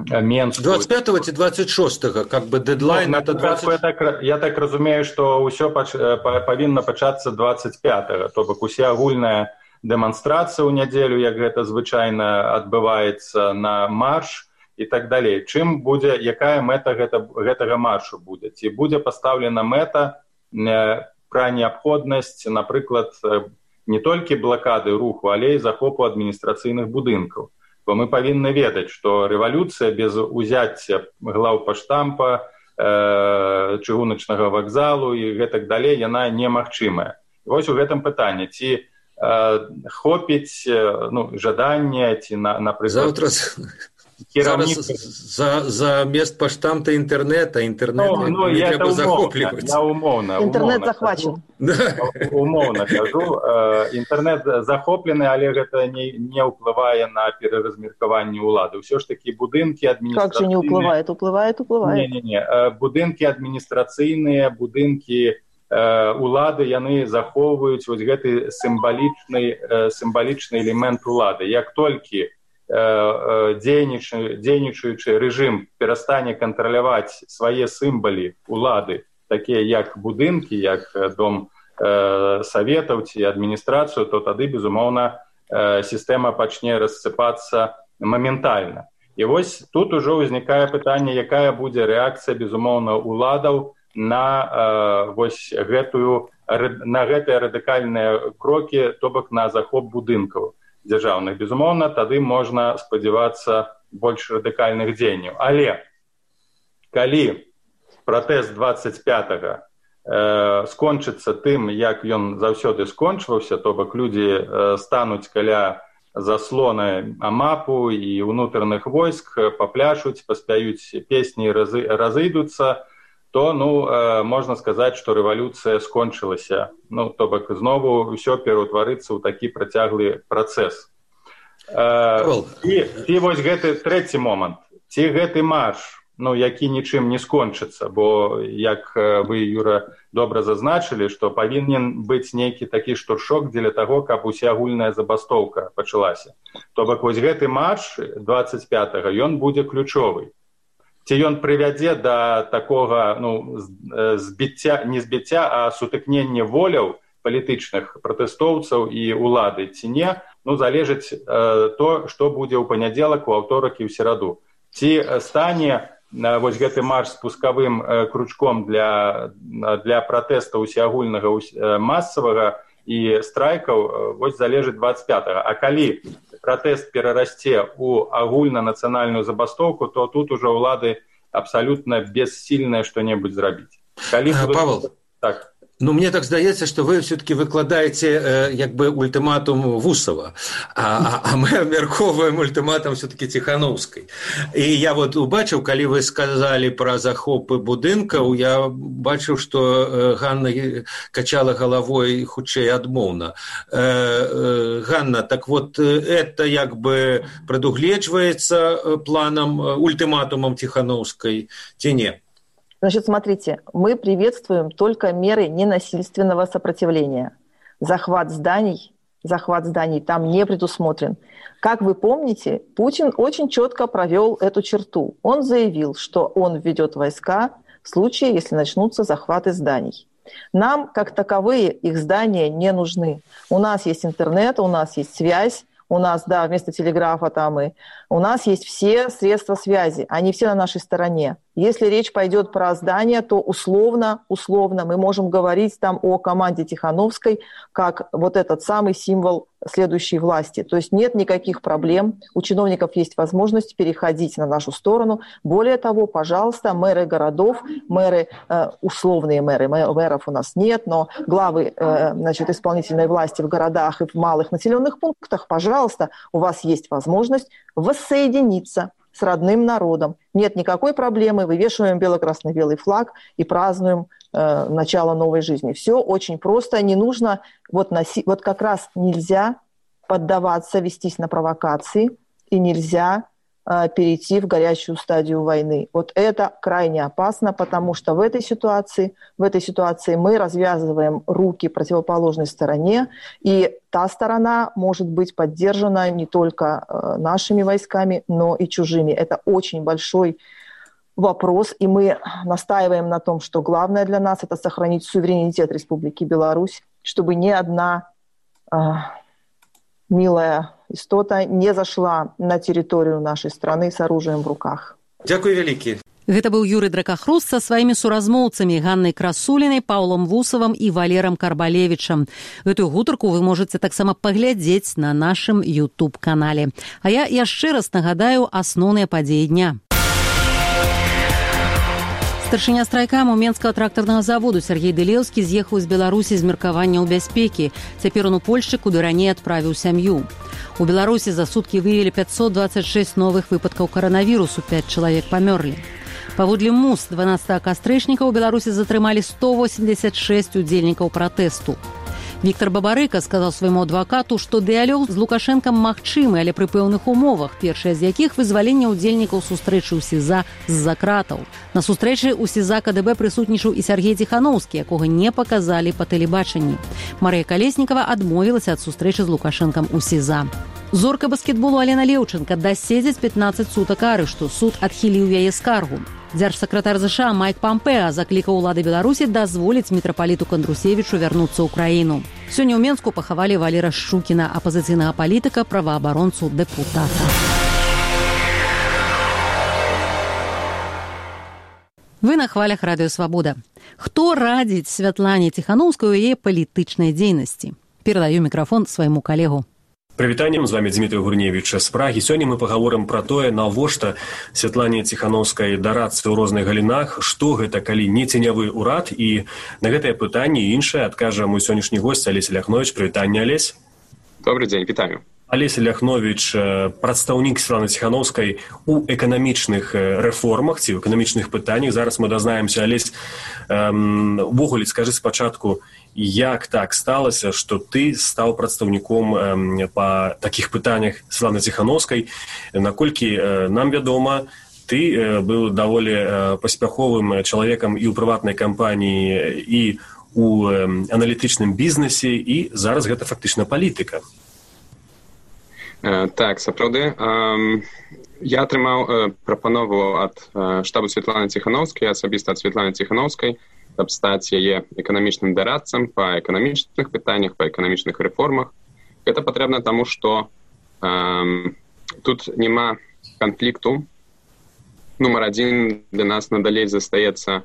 Менску... 25-го ці 26-го, как бы дедлайн... Я так разумею, што ўсё павінна пачацца 25-го, то бок усе агульная дэманстрацыя ў нядзелю, як гэта звычайна адбываецца на марш, і так далей. Чым будзе, якая мэта гэтага маршу будзе? Ці будзе пастаўлена мэта пра неабходнасць, напрыклад, не толькі блакады руху, але і захопу адміністрацыйных будынкаў. Бо мы павінны ведаць, што рэвалюцыя без узяцця глаўпаштампа, чыгуначнага вакзалу і гэтак далей, яна немагчымая. Вось у гэтым пытанне, ці хопіць жаданне, ці, напрыклад... За мест паштамта интернета не трэба захопліваць. Інтэрнет захвачен. Умоўна кажу, інтэрнет захоплены, але гэта не ўплывае на пераразмеркаванне ўлады. Усё ж такі будынкі адміністрацыйныя... Как же не ўплывае? Уплывае. Не. Будынкі адміністрацыйныя, будынкі улады, яны захоўваюць вось гэты сімвалічны элемент улады. Як толькі дзейнічаючы рэжым перастане кантраляваць свае сімвалы улады, такія як будынкі, як дом саветаў ці адміністрацыю, то тады, безумоўна, сістэма пачне рассыпацца моментальна. І вось тут ужо ўзнікае пытанне, якая будзе рэакцыя, безумоўна, уладаў на гэтыя радыкальныя крокі, то бок на захоп будынкаў дзяржаўных. Безумоўна, тады можна спадзявацца больш радыкальных дзеянняў. Але калі пратэст 25-го скончыцца тым, як ён заўсёды скончваўся, то бок людзі стануць каля заслона амапу і ўнутраных войск папляшуць, паспяюць песні, разыйдуцца, то, можна сказаць, што рэвалюцыя скончылася. То бок, знову ўсё пераўтварыцца ў такі працяглы працэс. І вось гэты трэці момант. Ці гэты марш, які нічым не скончыцца, бо, як вы, Юра, добра зазначылі, што павінен быць нейкі такі штуршок дзеля таго, каб усеагульная забастоўка пачалася. То бок, вось гэты марш 25-го, ён будзе ключовы. Ці ён прывядзе да такога, збіцця, не збіцця, а сутыкнення воляў палітычных пратэстоўцаў і ўлады, ці не, залежыць то, што будзе ў панядзелак, у аўторак і ў сераду. Ці стане вось гэты марш спускавым кручком для пратэста усеагульнага масавага і страйкаў, вось залежыць 25-го. А калі пратэст перарасце ў агульнанацыянальную забастоўку, то тут ужо ўлады абсалютна бессільныя што-небудзь зрабіць. Павел, так. Мне так здаецца, што вы все-таки выкладаеце ультыматум Вусова, а мы абмяркоўваем ультыматум все-таки Ціхановскай. І я убачыў, калі вы сказалі пра захопы будынкаў, я бачыў, што Ганна качала галавой хутчэй адмоўна. Ганна, так это прадугледжваецца планам, ультыматумам Ціхановскай, ці не? Значит, смотрите, мы приветствуем только меры ненасильственного сопротивления. Захват зданий там не предусмотрен. Как вы помните, Путин очень четко провел эту черту. Он заявил, что он введет войска в случае, если начнутся захваты зданий. Нам, как таковые, их здания не нужны. У нас есть интернет, у нас есть связь, у нас, вместо телеграфа у нас есть все средства связи, они все на нашей стороне. Если речь пойдет про здание, то условно мы можем говорить о команде Тихановской как этот самый символ следующей власти. То есть нет никаких проблем, у чиновников есть возможность переходить на нашу сторону. Более того, пожалуйста, мэры городов, условные мэры, мэров у нас нет, но главы исполнительной власти в городах и в малых населенных пунктах, пожалуйста, у вас есть возможность воссоединиться с родным народом. Нет никакой проблемы, вывешиваем бело-красно-белый флаг и празднуем начало новой жизни. Все очень просто, не нужно, как раз нельзя поддаваться, вестись на провокации, и нельзя перейти в горячую стадию войны. Это крайне опасно, потому что в этой ситуации мы развязываем руки противоположной стороне, и та сторона может быть поддержана не только нашими войсками, но и чужими. Это очень большой вопрос, и мы настаиваем на том, что главное для нас – это сохранить суверенитет Республики Беларусь, чтобы ни одна милая истота не зашла на территорию нашей страны с оружием в руках. Дякую вялікі. Гэта быў Юрый Дракахруст са сваімі суразмоўцамі Ганнай Красулінай, Паўлом Вусавым і Валерам Карбалевічам. Гэтую гутарку вы можаце таксама паглядзець на нашым YouTube-канале. А я яшчэ раз нагадаю асноўныя падзеі дня. Старшыня страйкаму Менскага трактарнага заводу Сергей Дылеўскі з'ехаў з Беларусі з меркавання ў бяспекі. Цяпер он у Польшчы, куды раней адправіў сям'ю. У Беларусі за суткі выявілі 526 новых выпадкаў каранавірусу, 5 чалавек памёрлі. Паводле МУС 12 кастрычніка ў Беларусі затрымалі 186 удзельнікаў пратэсту. Віктор Бабарыка сказаў свайму адвакату, што дыялог з Лукашэнкам магчымы, але пры пэўных умовах, першая з якіх вызваленне ўдзельнікаў сустрэчы ў СІЗА з-за кратаў. На сустрэчы ў СІЗА КДБ прысутнічаў і Сергей Ціхановскі, якога не паказалі па тэлебачанні. Марыя Калеснікава адмовілася ад сустрэчы з Лукашэнкам у СІЗА. Зорка баскетболу Алена Леўчынка даседзіць 15 сутак арышту. Суд адхіліў яе скаргу. Дзяржсакратар ЗША Майк Пампеа заклікаў улады Беларусі дазволіць мітрапаліту Кандрусевічу вярнуцца ў краіну. Сёння ў Менску пахавалі Валера Шчукіна, апазіцыйнага палітыка, праваабаронцу, дэпутата. Вы на хвалях Радыё Свабода. Хто радзіць Святлане Ціхановскай у яе палітычнай дзейнасці? Перадаю мікрафон свайму калегу. Прывітаннем, з вами Дмітрий Гурневіч з Прагі. Сёння мы пагаворым пра тое, навошта Святлане Ціхановскай дарацца ў розных галінах, што гэта, калі не ценявы ўрад, і на гэтае пытанне і іншае адкажа мой сённяшні госць Алесь Ляхновіч. Прывітанне, Алесь. Добрый дзень, вітаю. Алеся Ляхновіч, прадстаўнік Светланы Ціхановскай у эканамічных рэформах ці ў эканамічных пытаннях. Зараз мы дазнаемся, Алесь, увогуле, скажы спачатку, як так сталася, што ты стаў прадстаўніком па такіх пытаннях Светланы Ціхановскай? Наколькі нам вядома, ты быў даволі паспяховым чалавекам і ў прыватнай кампаніі, і ў аналітычным бізнесе, і зараз гэта фактычна палітыка. Так, сапраўды. Я атрымаў прапанову ад штабу Светланы Ціхановскай, асабіста ад Светланы Ціхановскай, каб стаць яе эканамічным дарадцам па эканамічных пытаннях, па эканамічных рэформах. Гэта патрэбна таму, што тут няма канфлікту. Нумар адзін для нас надалей застаецца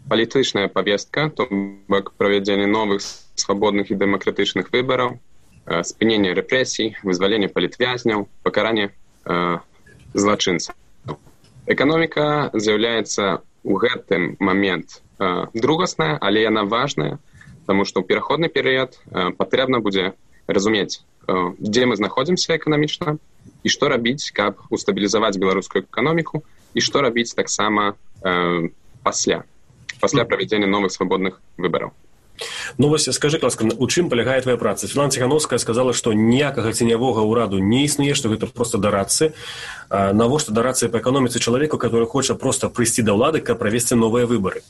палітычная павестка, то бок правядзенне новых свабодных і дэмакратычных выбараў, спынение рэпрэсій, вызваленне палітвязняў, пакаранне злачынцаў. Эканоміка з'яўляецца ў гэтым момент другасная, але яна важная, таму што ў пераходны перыяд патрэбна будзе разумець, дзе мы знаходзімся эканамічна і што рабіць, каб устабілізаваць беларускую эканоміку, і што рабіць таксама пасля правядзення новых свабодных выбараў. Ну вось, скажы, ласка, у чым палягае твая праца? Светлана Ціхановская сказала, што ніякага ценявога ўраду не існуе, што гэта проста дарадцы. Навошта дарадцы па эканоміцы чалавеку, который хоча проста прыйсці да ўлады, каб правесці новыя выбары?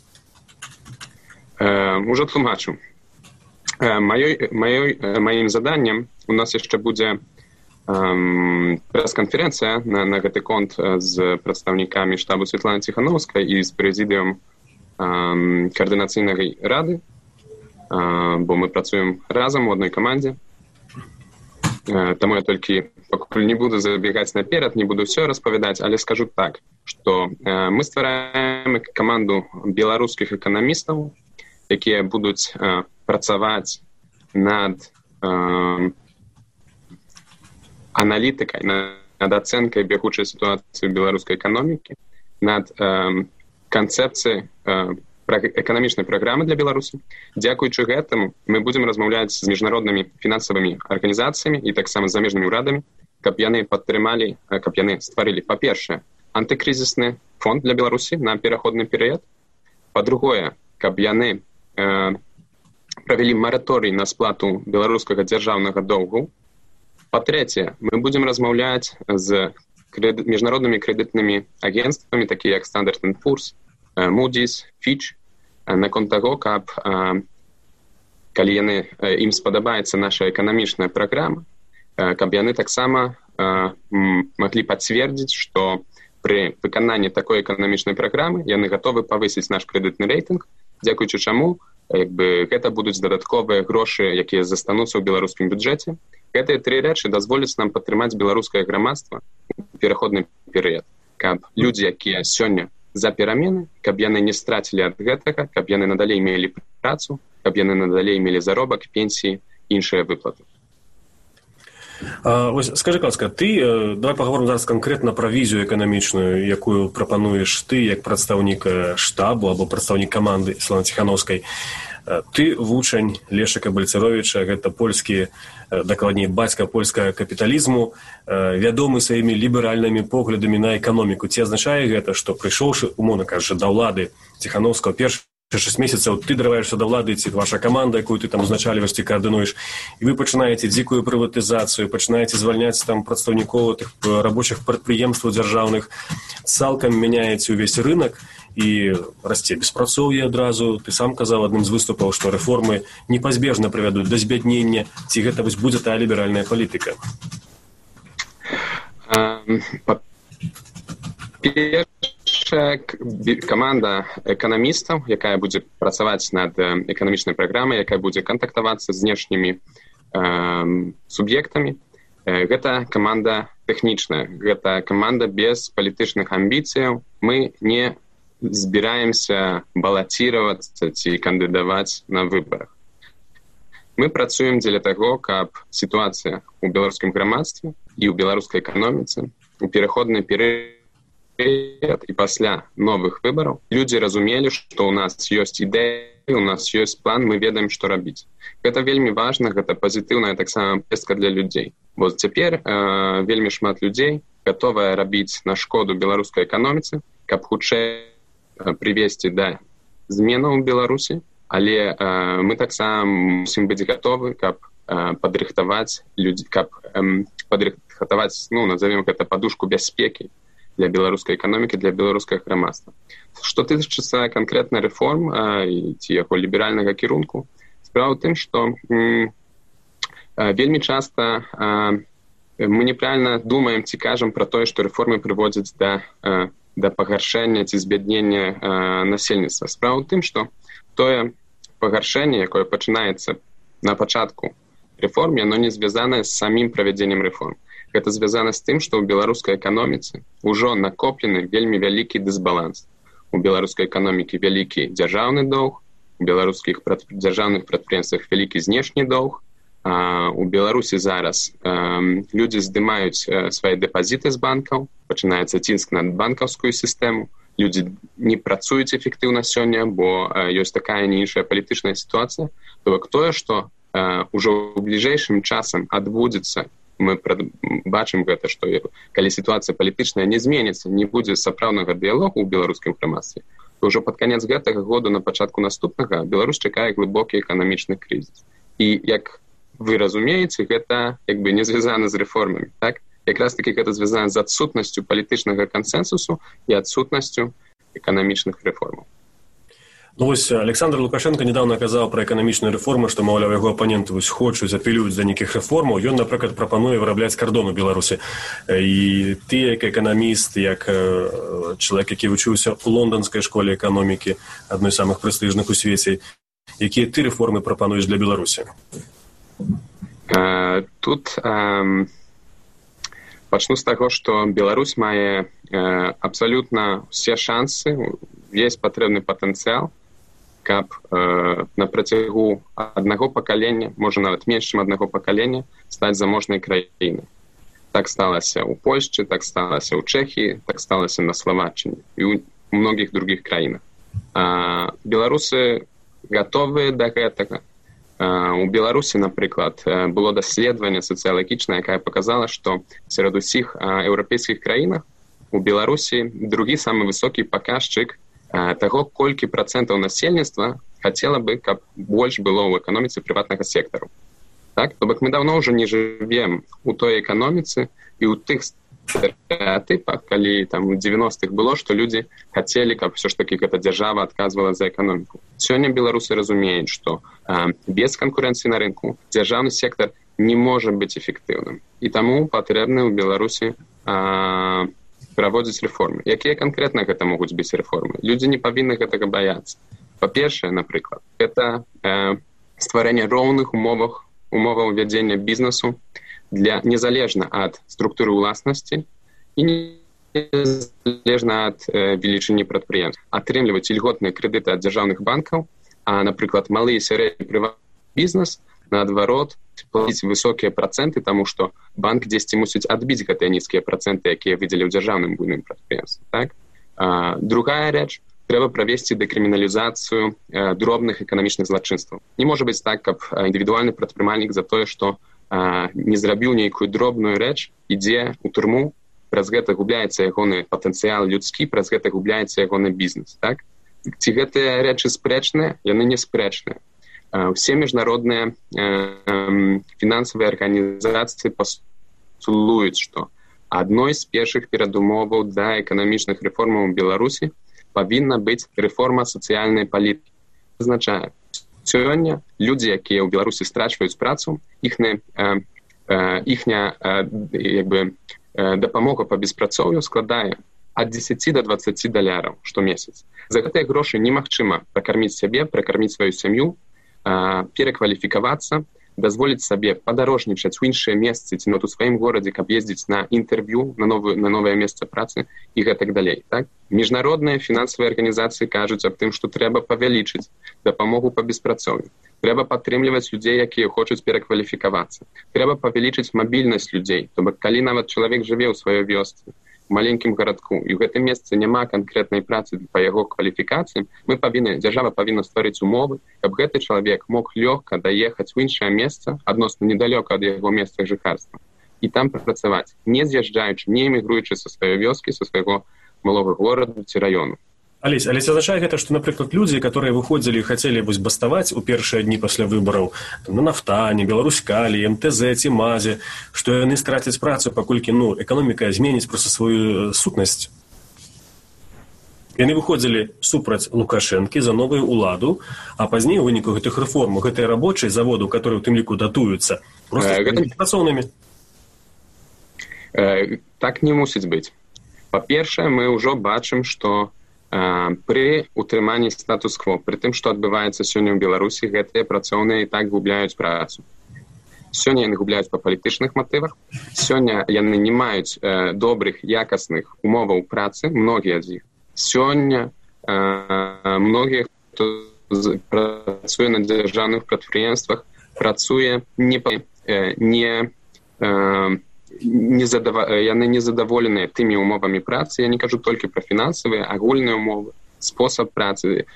Ужо тлумачу. Маім заданнем у нас яшчэ будзе прэс-канферэнцыя на гэты конт з прадстаўнікамі штабу Светланы Ціхановскай і з прэзідыум каардынацыйнай рады, бо мы працуем разам у адной камандзе. Таму я толькі пакуль не буду забегаць наперад, не буду ўсё распавядаць, але скажу так, што мы ствараем каманду беларускіх эканамістаў, якія будуць працаваць над аналітыкай, над ацэнкай бягучай сітуацыі беларускай эканомікі, над канцэпцыяй эканамічнай праграмы для Беларусі. Дзякуючы гэтаму мы будзем размаўляць з міжнароднымі фінансавымі арганізацыямі і таксама з замежнымі ўрадамі, каб яны падтрымалі, каб яны стварылі, па-першае, антыкрызісны фонд для Беларусі на пераходны перыяд, па-другое, каб яны правялі мараторый на сплату беларускага дзяржаўнага доўгу, па-трэцяе, мы будзем размаўляць з міжнароднымі крэдытнымі агенцтвамі, такія як Standard & Poor's, Moody's, Fitch, наконт таго, каб, калі ім спадабаецца наша эканамічная праграма, каб яны таксама маглі пацвердзіць, што пры выкананні такой эканамічнай праграмы яны гатовы павысіць наш крэдытны рэйтынг, дзякуючы чаму гэта будуць дадатковыя грошы, якія застануцца ў беларускім бюджэце. Гэтыя тры рэчы дазволяць нам падтрымаць беларускае грамадства ў пераходны перыяд, каб людзі, якія сёння за перамены, каб яны не страцілі ад гэтага, каб яны надалей мелі працу, каб яны надалей мелі заробак, пенсіі, іншыя выплаты. Ось, скажи, ласка, ты, давай паговорым зараз канкрэтна пра візію эканамічную, якую прапануеш ты як прадстаўнік штабу або прадстаўнік каманды Светланы Ціхановскай. Ты вучань Лешыка Бальцаровіча, гэта польскі, дакладней, бацька польскага капіталізму, вядомы сваімі ліберальнымі поглядамі на эканоміку. Ці азначае гэта, што прыйшоўшы, умоўна кажучы, да ўлады Ціхановскага першых 6 месяцаў, ты дарываешся да ўлады, ці ваша каманда, якую ты там узначальваеш, ці каардынуеш, і вы пачынаеце дзікую прыватызацыю, пачынаеце звальняць там прадстаўнікоў тых рабочых прадпрыемстваў дзяржаўных, цалкам мяняеце ўвесь рынак, і расце беспрацоўе адразу. Ты сам казаў адным з выступаў, што рэформы непазбежна прывядуць да збяднення. Ці гэта вось будзе тая ліберальная палітыка? Першая каманда эканамістаў, якая будзе працаваць над эканамічнай праграмай, якая будзе кантактавацца з знешнімі суб'ектамі, гэта каманда тэхнічная, гэта каманда без палітычных амбіцыяў. Мы не збіраемся балаціравацца ці кандыдаваць на выбарах. Мы працуем дзеля таго, каб сітуацыя ў беларускім грамадстве і ў беларускай эканоміцы у пераходны перыяд і пасля новых выбараў людзі разумелі, што ў нас ёсць ідэя у нас ёсць план, мы ведаем, што рабіць. Гэта вельмі важна, гэта пазітыўная таксама пестка для людзей. Бо цяпер вельмі шмат людзей гатовыя рабіць на шкоду беларускай эканоміцы, каб хутчэй прывесці да зменаў у Беларусі, але мы таксама мусім быць гатовы, каб падрыхтаваць людзей, каб падрыхтаваць, назовем гэта падушку бяспекі для беларускай эканомікі, для беларускага грамадства. Што тычыцца канкрэтна рэформ ці яго ліберальнага кірунку, справа ў тым, што вельмі часта мы неправільна думаем ці кажам пра тое, што рэформы прыводзяць да пагаршэння ці збяднення насельніцтва. Справа ў тым, што тое пагаршэнне, якое пачынаецца на пачатку рэформ, яно не звязанае з самім правядзеннем рэформ. Гэта звязана з тым, што ў беларускай эканоміцы ўжо накоплены вельмі вялікі дысбаланс. У беларускай эканомікі вялікі дзяржаўны доўг, у беларускіх дзяржаўных прадпрыемствах вялікі знешні доўг, у Беларусі зараз людзі здымаюць свае дэпазіты з банкаў, пачынаецца ціск на банкаўскую сістэму, людзі не працуюць эфектыўна сёння, бо ёсць такая не іншая палітычная сітуацыя. То бок тое, што ўжо ў бліжэйшым часам адбудзецца, мы бачым гэта, што калі сітуацыя палітычная не зменіцца, не будзе сапраўднага дыялогу ў беларускім грамадстве, то ўжо пад канец гэтага году, на пачатку наступнага, Беларусь чакае глыбокі эканамічны крызіс. І, як вы разумееце, гэта не звязана з рэформамі. Так? Якраз таки гэта звязана з адсутнасцю палітычнага кансенсусу і адсутнасцю эканамічных рэформаў. Александр Лукашенко недавно казаў пра эканамічную рэформу, што, маўляў, яго апаненты хочуць, апелююць да нейкіх рэформаў. Ён, напрыклад, прапануе вырабляць кардон у Беларусі. І ты, як эканаміст, як чалавек, які вучыўся ў лонданскай школе эканомікі, адной з самых прэстыжных у свеце, якія ты рэформы прапануеш для Беларусі? Тут пачну з таго, што Беларусь мае абсалютна ўсе шансы, есть патрэбны патэнцыял, каб на працягу аднаго пакалення, можа нават менш, чым аднаго пакалення, стаць заможнай краінай. Так сталася ў Польшчы, так сталася ў Чэхіі, так сталася на Славаччыне і ў многіх другіх краінах. Беларусы гатовыя да гэтага. У Беларусі, напрыклад, было даследаванне сацыялагічнае, якое паказала, што сярод усіх еўрапейскіх краінах у Беларусі другі самы высокі паказчык таго, колькі працэнтаў насельніцтва хацела бы, каб больш было ў эканоміцы прыватнага сектару. Так? То бок мы даўно ўжо не жывем у той эканоміцы і ў тых стэрэатыпах, калі там у 90-х было, што людзі хацелі, каб ўсё ж такі гэта дзяржава адказвала за эканоміку. Сёння беларусы разумеюць, што без канкурэнцыі на рынку дзяржаўны сектар не можа быць эфектыўным. І таму патрэбны ў Беларусі праводзіць рэформы. Якія канкрэтна гэта могуць быць рэформы? Людзі не павінны гэтага баяцца. Па-першае, напрыклад, гэта стварэнне роўных умоваў вядзення бізнесу незалежна ад структуры ўласнасці і незалежна ад велічыні прадпрыемств. Атрымліваць ільготныя крэдыты ад дзяржаўных банкаў, а, напрыклад, малы і сярэдні прыватны бізнес, наадварот, плаціць высокія працэнты, таму што банк дзесьці мусіць адбіць гэтыя нізкія працэнты, якія выдзелі ў дзяржаўным буйным прадпрыемстве. Так? Другая рэч, трэба правесці дэкрыміналізацыю дробных эканамічных злачынстваў. Не можа быць так, каб індывідуальны прадпрымальнік за тое, што не зрабіў нейкую дробную рэч, ідзе ў турму, праз гэта губляецца ягоны патэнцыял людскі, праз гэта губляецца ягоны бізнес. Так? Ці гэтыя рэчы спрэчныя? Яны не спрэчныя. Усе міжнародныя фінансавыя арганізацыі пастулуюць, што адной з першых перадумоваў да эканамічных рэформаў у Беларусі павінна быць рэформа сацыяльнай палітыкі. Азначае, сёння людзі, якія ў Беларусі страчваюць працу, іхняя дапамога па беспрацоўю складае ад 10 до 20 даляраў штомесяц. За гэтыя грошы немагчыма пракарміць сябе, пракарміць сваю сям'ю, перакваліфікавацца, дазволіць сабе падарожнічаць у іншыя месцы ці у сваім горадзе, каб ездзіць на інтэрв'ю на новае месца працы і гэтак далей. Так? Міжнародныя фінансавыя арганізацыі кажуць аб тым, што трэба павялічыць дапамогу па беспрацоўю. Трэба падтрымліваць людзей, якія хочуць перакваліфікавацца. Трэба павялічыць мабільнасць людзей. То бок, калі нават чалавек жыве ў сваёй вёсцы маленькім гарадку, і ў гэтым месцы няма канкрэтнай працы па яго кваліфікацыям, дзяржава павінна стварыць умовы, каб гэты чалавек мог лёгка даехаць у іншае месца, адносна недалёка ад яго месца жыхарства, і там працаваць, не з'язджаючы, не эмігруючы са сваёй вёскі, са свайго малога горада ці раёну. Але означае гэта, што, напрыклад, людзі, которые выходзілі і хацелі баставаць у першыя дні пасля выбараў на Нафтане, Беларускалі, МТЗ ці МАЗе, што яны страцяць працу, паколькі эканоміка зменіць проста сваю сутнасць. Яны выходзілі супраць Лукашэнкі за новую ўладу, а пазней у выніку гэтых рэформ гэтыя рабочыя заводы, которые у тым ліку датуюцца, проста працоўнымі. Так не мусіць быць. Па-першае, мы ўжо бачым, што пры утрыманні статус-кво, пры тым, што адбываецца сёння ў Беларусі, гэтыя працоўныя і так губляюць працу. Сёння яны губляюць па палітычных матывах, сёння яны не маюць добрых, якасных умоваў працы, многія з іх. Сёння многія, хто працуе на дзяржаўных прадпрыемствах, працуе яны незадаволеныя тымі умовамі працы. Я не кажу толькі пра фінансавыя, агульныя умовы, спосаб працы,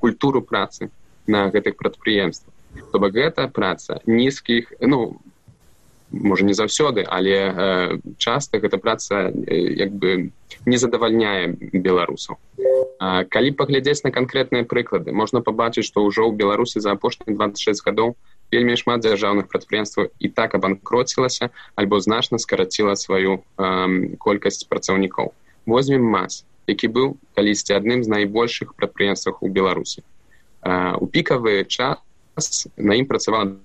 культуру працы на гэтых прадпрыемствах. То бок гэта праца нізкіх, можа не заўсёды, але часта гэта праца не задавальняе беларусаў. Калі паглядзець на канкрэтныя прыклады, можна пабачыць, што ўжо ў Беларусі за апошнія 26 гадоў вельмі шмат дзяржаўных прадпрыемстваў і так абанкроцілася альбо значна скараціла сваю колькасць працаўнікоў. Возьмем МАЗ, які быў калісьці адным з найбольшых прадпрыемстваў у Беларусі. У пікавы час на ім працавала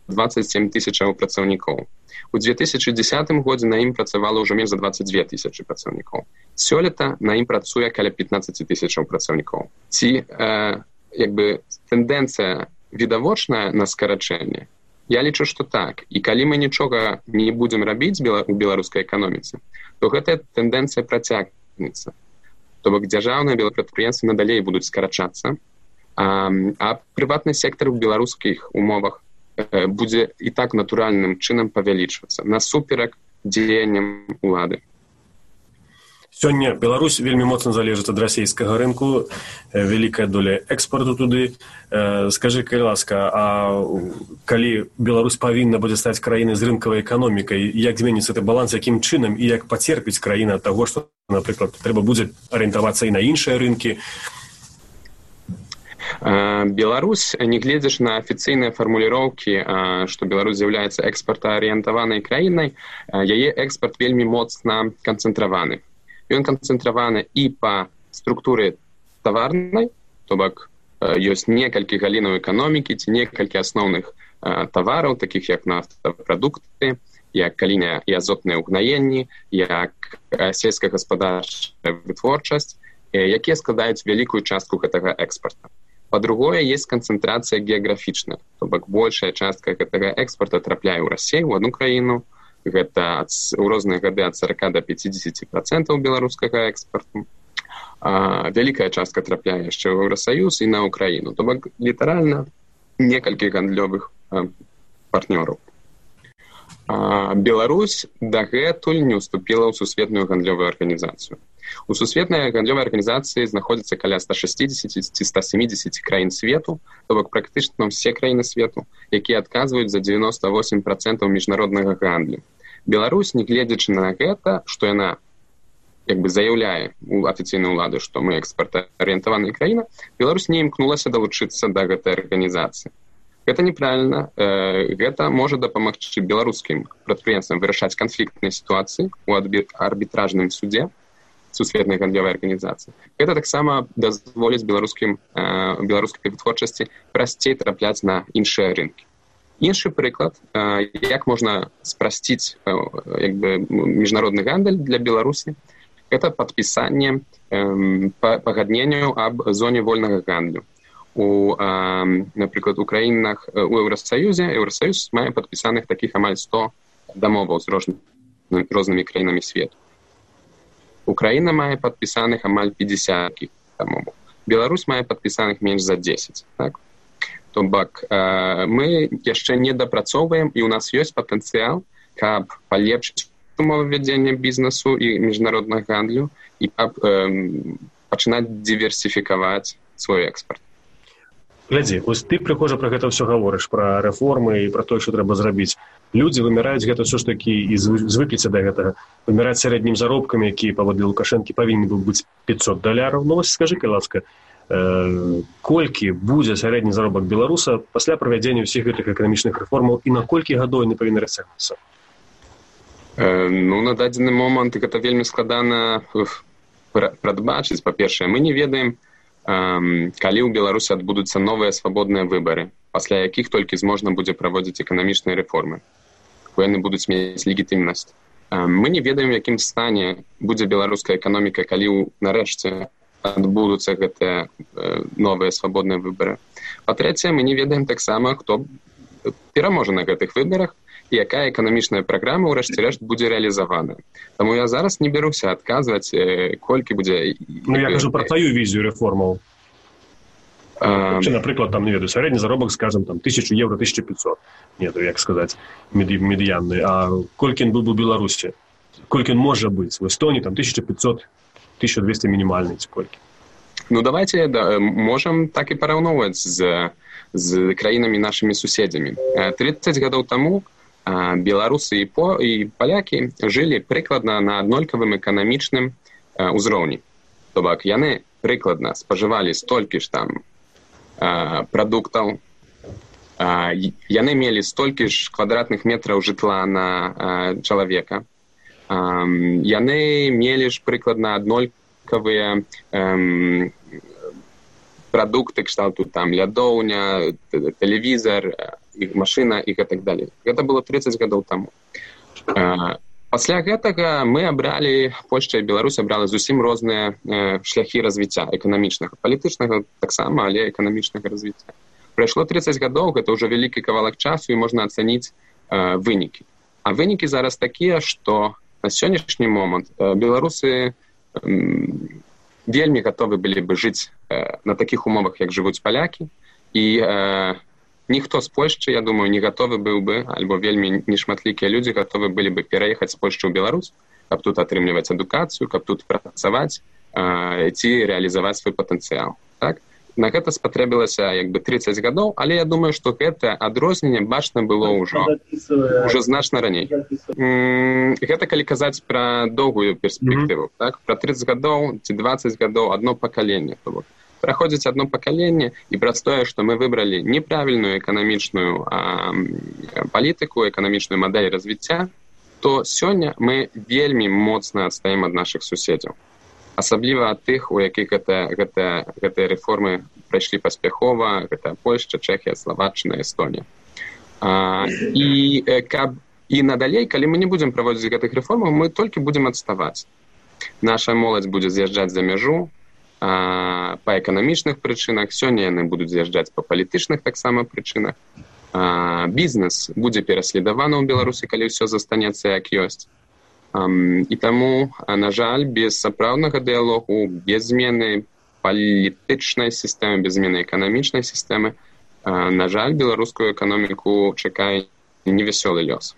27 тысячаў працаўнікоў. У 2010 годзе на ім працавала ўжо менш за 22 тысячы працаўнікоў. Сёлета на ім працуе каля 15 тысячаў працаўнікоў. Ці тэндэнцыя відавочная на скарачэнне? Я лічу, што так. І калі мы нічога не будзем рабіць у беларускай эканоміцы, то гэтая тэндэнцыя працягнецца. То бок дзяржаўныя прадпрыемствы надалей будуць скарачацца, а прыватны сектар у беларускіх умовах будзе і так натуральным чынам павялічвацца насуперак дзеянням улады. Сёння Беларусь вельмі моцна залежыць ад расійскага рынку, вялікая доля экспорту туды. Скажы, калі ласка, а калі Беларусь павінна будзе стаць краінай з рынкавай эканомікай, як зменіцца гэты баланс, якім чынам і як пацерпіць краіна ад таго, што, напрыклад, трэба будзе арыентавацца і на іншыя рынкі? Беларусь, нягледзячы на афіцыйныя фармуліроўкі, што Беларусь з'яўляецца экспартаарыентаванай краінай, яе экспарт вельмі моцна канцэнтраваны. Ён канцэнтраваны і па структуры таварнай, то бок ёсць некалькі галінаў эканомікі ці некалькі асноўных тавараў, такіх як нафтапрадукты, як калійныя і азотныя ўгнаенні, як сельскагаспадарчая вытворчасць, якія складаюць вялікую частку гэтага экспарта. Па-другое, есть канцэнтрацыя геаграфічная, то бок большая частка гэтага экспарта трапляе ў Расію, у одну краіну. Гэта у розныя гады ад 40 до 50% беларускага экспарту. Вялікая частка трапляе яшчэ ў Еўрасаюз і на Украіну. То бок літаральна некалькі гандлёвых партнёраў. Беларусь дагэтуль не ўступіла ў сусветную гандлёвую арганізацыю. У сусветнай гандлёвай арганізацыі знаходзіцца каля 160 ці 170 краін свету, то бок практычна ўсе краіны свету, якія адказваюць за 98% міжнароднага гандлю. Беларусь, нягледзячы на гэта, што яна заяўляе у афіцыйнай улады, што мы экспартаарыентаваная краіна, Беларусь не імкнулася далучыцца да гэтай арганізацыі. Гэта неправільна. Гэта можа дапамагчы беларускім прадпрыемствам вырашаць канфліктныя сітуацыі ў арбітражным судзе сусветнай гандлёвай арганізацыі. Гэта таксама дазволіць беларускай вытворчасці прасцей трапляць на іншыя рынкі. Іншы прыклад, як можна спрасціць міжнародны гандаль для Беларусі, гэта падпісанне пагадненняў аб зоне вольнага гандлю. Напрыклад, у краінах у Еўрасаюз мае падпісаных такіх амаль 100 дамоваў з рознымі краінамі свету. Украіна мае падпісаных амаль 50 дамоваў. Беларусь мае падпісаных менш за 10. Так? То бок мы яшчэ не дапрацоўваем, і ў нас ёсць патэнцыял, каб палепшыць умовы вядзення бізнесу і міжнароднага гандлю і пачынаць діверсіфікаваць свой экспарт. Глядзі, ось ты прыхожа пра гэта ўсё гаворыш, пра рэформы і пра тое, што трэба зрабіць. Людзі вымяраюць гэта ўсё ж такі і звыкліся да гэтага. Вымяраць сярэднім заробкам, які паводле Лукашэнкі павінен быў быць $500. Ну вось скажы, ласка, колькі будзе сярэдні заробак беларуса пасля правядзення ўсіх гэтых эканамічных рэформаў і на колькі гадоў яны павінны расцягнуцца? Ну, на дадзены момант гэта вельмі складана прадбачыць. Па-першае, мы не ведаем, калі ў Беларусі адбудуцца новыя свабодныя выбары, пасля якіх толькі зможна будзе праводзіць эканамічныя рэформы, бо яны будуць мець легітымнасць. Мы не ведаем, якім стане будзе беларуская эканоміка, калі нарэшце адбудуцца гэтыя новыя свабодныя выбары. Па-трэцяе, мы не ведаем таксама, хто пераможа на гэтых выбарах і якая эканамічная праграма ўрэшце рэшт будзе рэалізавана. Таму я зараз не бяруся адказваць, колькі будзе... Ну, я кажу пра твою візію рэформаў. Напрыклад, там, не ведаю, сярэдні заробак, скажем, там, 1000 евро, 1500. Не, то як сказаць, медыянны. А колькі ён быў у Беларусі? Колькі ён можа быць? В Эстонії, там, 1500, 1200 мінімальны, ці колькі? Ну, давайте можам так і параўноўваць з краінамі нашымі суседзямі. 30 гадоў таму беларусы і палякі жылі прыкладна на аднолькавым эканамічным узроўні. То бок, яны прыкладна спажывалі столькі ж там прадуктаў, яны мелі столькі ж квадратных метраў жытла на чалавека, яны мелі ж прыкладна аднолькавыя прадукты кшталту там лядоўня, тэлевізар, машына і так далее. Гэта было 30 гадоў таму. Пасля гэтага мы абралі, Польшча і Беларусь абрала зусім розныя шляхі развіцця эканамічнага, палітычнага таксама, але эканамічнага развіцця. Прайшло 30 гадоў, гэта ўжо вялікі кавалак часу і можна ацаніць вынікі. А вынікі зараз такія, што на сённяшні момант беларусы вельмі гатовы былі бы жыць на такіх умовах, як жывуць палякі, і ніхто з Польшчы, я думаю, не гатовы быў бы, альбо вельмі нешматлікія людзі гатовы былі бы пераехаць з Польшчы ў Беларусь, каб тут атрымліваць адукацыю, каб тут працаваць ці рэалізаваць свой патэнцыял. Так? На гэта спатрэбілася 30 гадоў, але я думаю, што гэта адрозненне бачна было ўжо значна раней. Гэта калі казаць пра доўгую перспектыву. Так? Пра 30 гадоў ці 20 гадоў адно пакаленне. Праходзіць адно пакаленне, і праз тое, што мы выбралі неправільную эканамічную палітыку, эканамічную мадэль развіцця, то сёння мы вельмі моцна адстаем ад нашых суседзяў. Асабліва ад тых, у якіх гэтыя рэформы прайшлі паспяхова, гэта Польшча, Чэхія, Славаччына, Эстонія. І надалей, калі мы не будзем праводзіць гэтых рэформаў, мы толькі будзем адставаць. Наша моладзь будзе з'язджаць за мяжу, па эканамічных прычынах, сёння яны будуць з'язджаць па палітычных таксама прычынах. Бізнес будзе пераследаваны ў Беларусі, калі ўсё застанецца як ёсць. І таму, на жаль, без сапраўднага дыялогу, без змены палітычнай сістэмы, без змены эканамічнай сістэмы, на жаль, беларускую эканоміку чакае невясёлы лёс.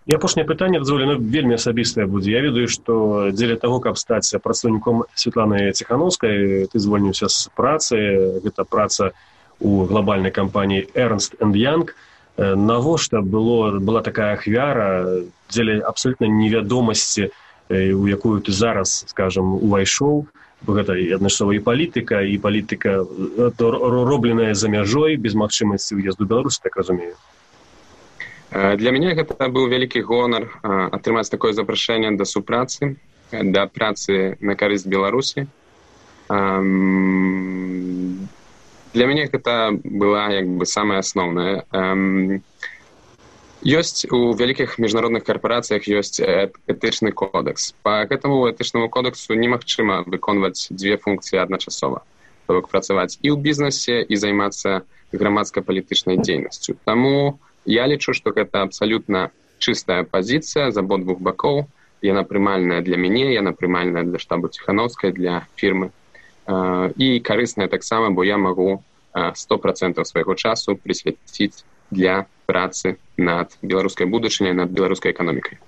І апошняе пытанне, дазволена, вельмі асабістае будзе. Я ведаю, што дзеля таго, каб стаць прадстаўніком Светланы Ціханаўскай, ты звольніўся з працы. Гэта праца ў глобальнай кампаніі Ernst & Young. Навошта была такая ахвяра дзеля абсалютна невядомасці, у якую ты зараз, скажам, увайшоў? Бо гэта адначасова і палітыка робленая за мяжой, без магчымасці ўезду ў Беларусь, так разумею. Для мяне гэта быў вялікі гонар атрымаць такое запрашэнне да супрацы, да працы на карысць Беларусі. Для мяне гэта была самае асноўнае. Ёсць у вялікіх міжнародных карпорацыях ёсць этычны кодекс. Па гэтаму этычнаму кодексу немагчыма выконваць дзве функцыі адначасова. То бок працаваць і ў бізнесе, і займацца грамадска-палітычнай дзейнасцю. Таму я лічу, што гэта абсалютна чыстая пазіцыя з абодвух бакоў. Яна прымальная для мяне, яна прымальная для штабу Ціханаўскай, для фірмы. І карысная таксама, бо я магу 100% свайго часу прысвяціць для працы над беларускай будучыняй, над беларускай эканомікай.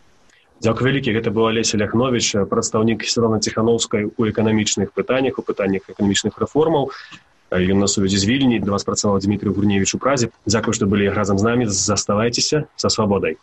Дзякуй вялікі, гэта быў Алесь Ляхновіч, прадстаўнік Святланы Ціханаўскай у эканамічных пытаннях, у пытаннях эканамічных рэформаў. Ён на сувязі з Вільні, для вас працаваў Дмітрый Гурневіч у Празе. Дзякуй, што былі разам з намі, заставайцеся са свабодай.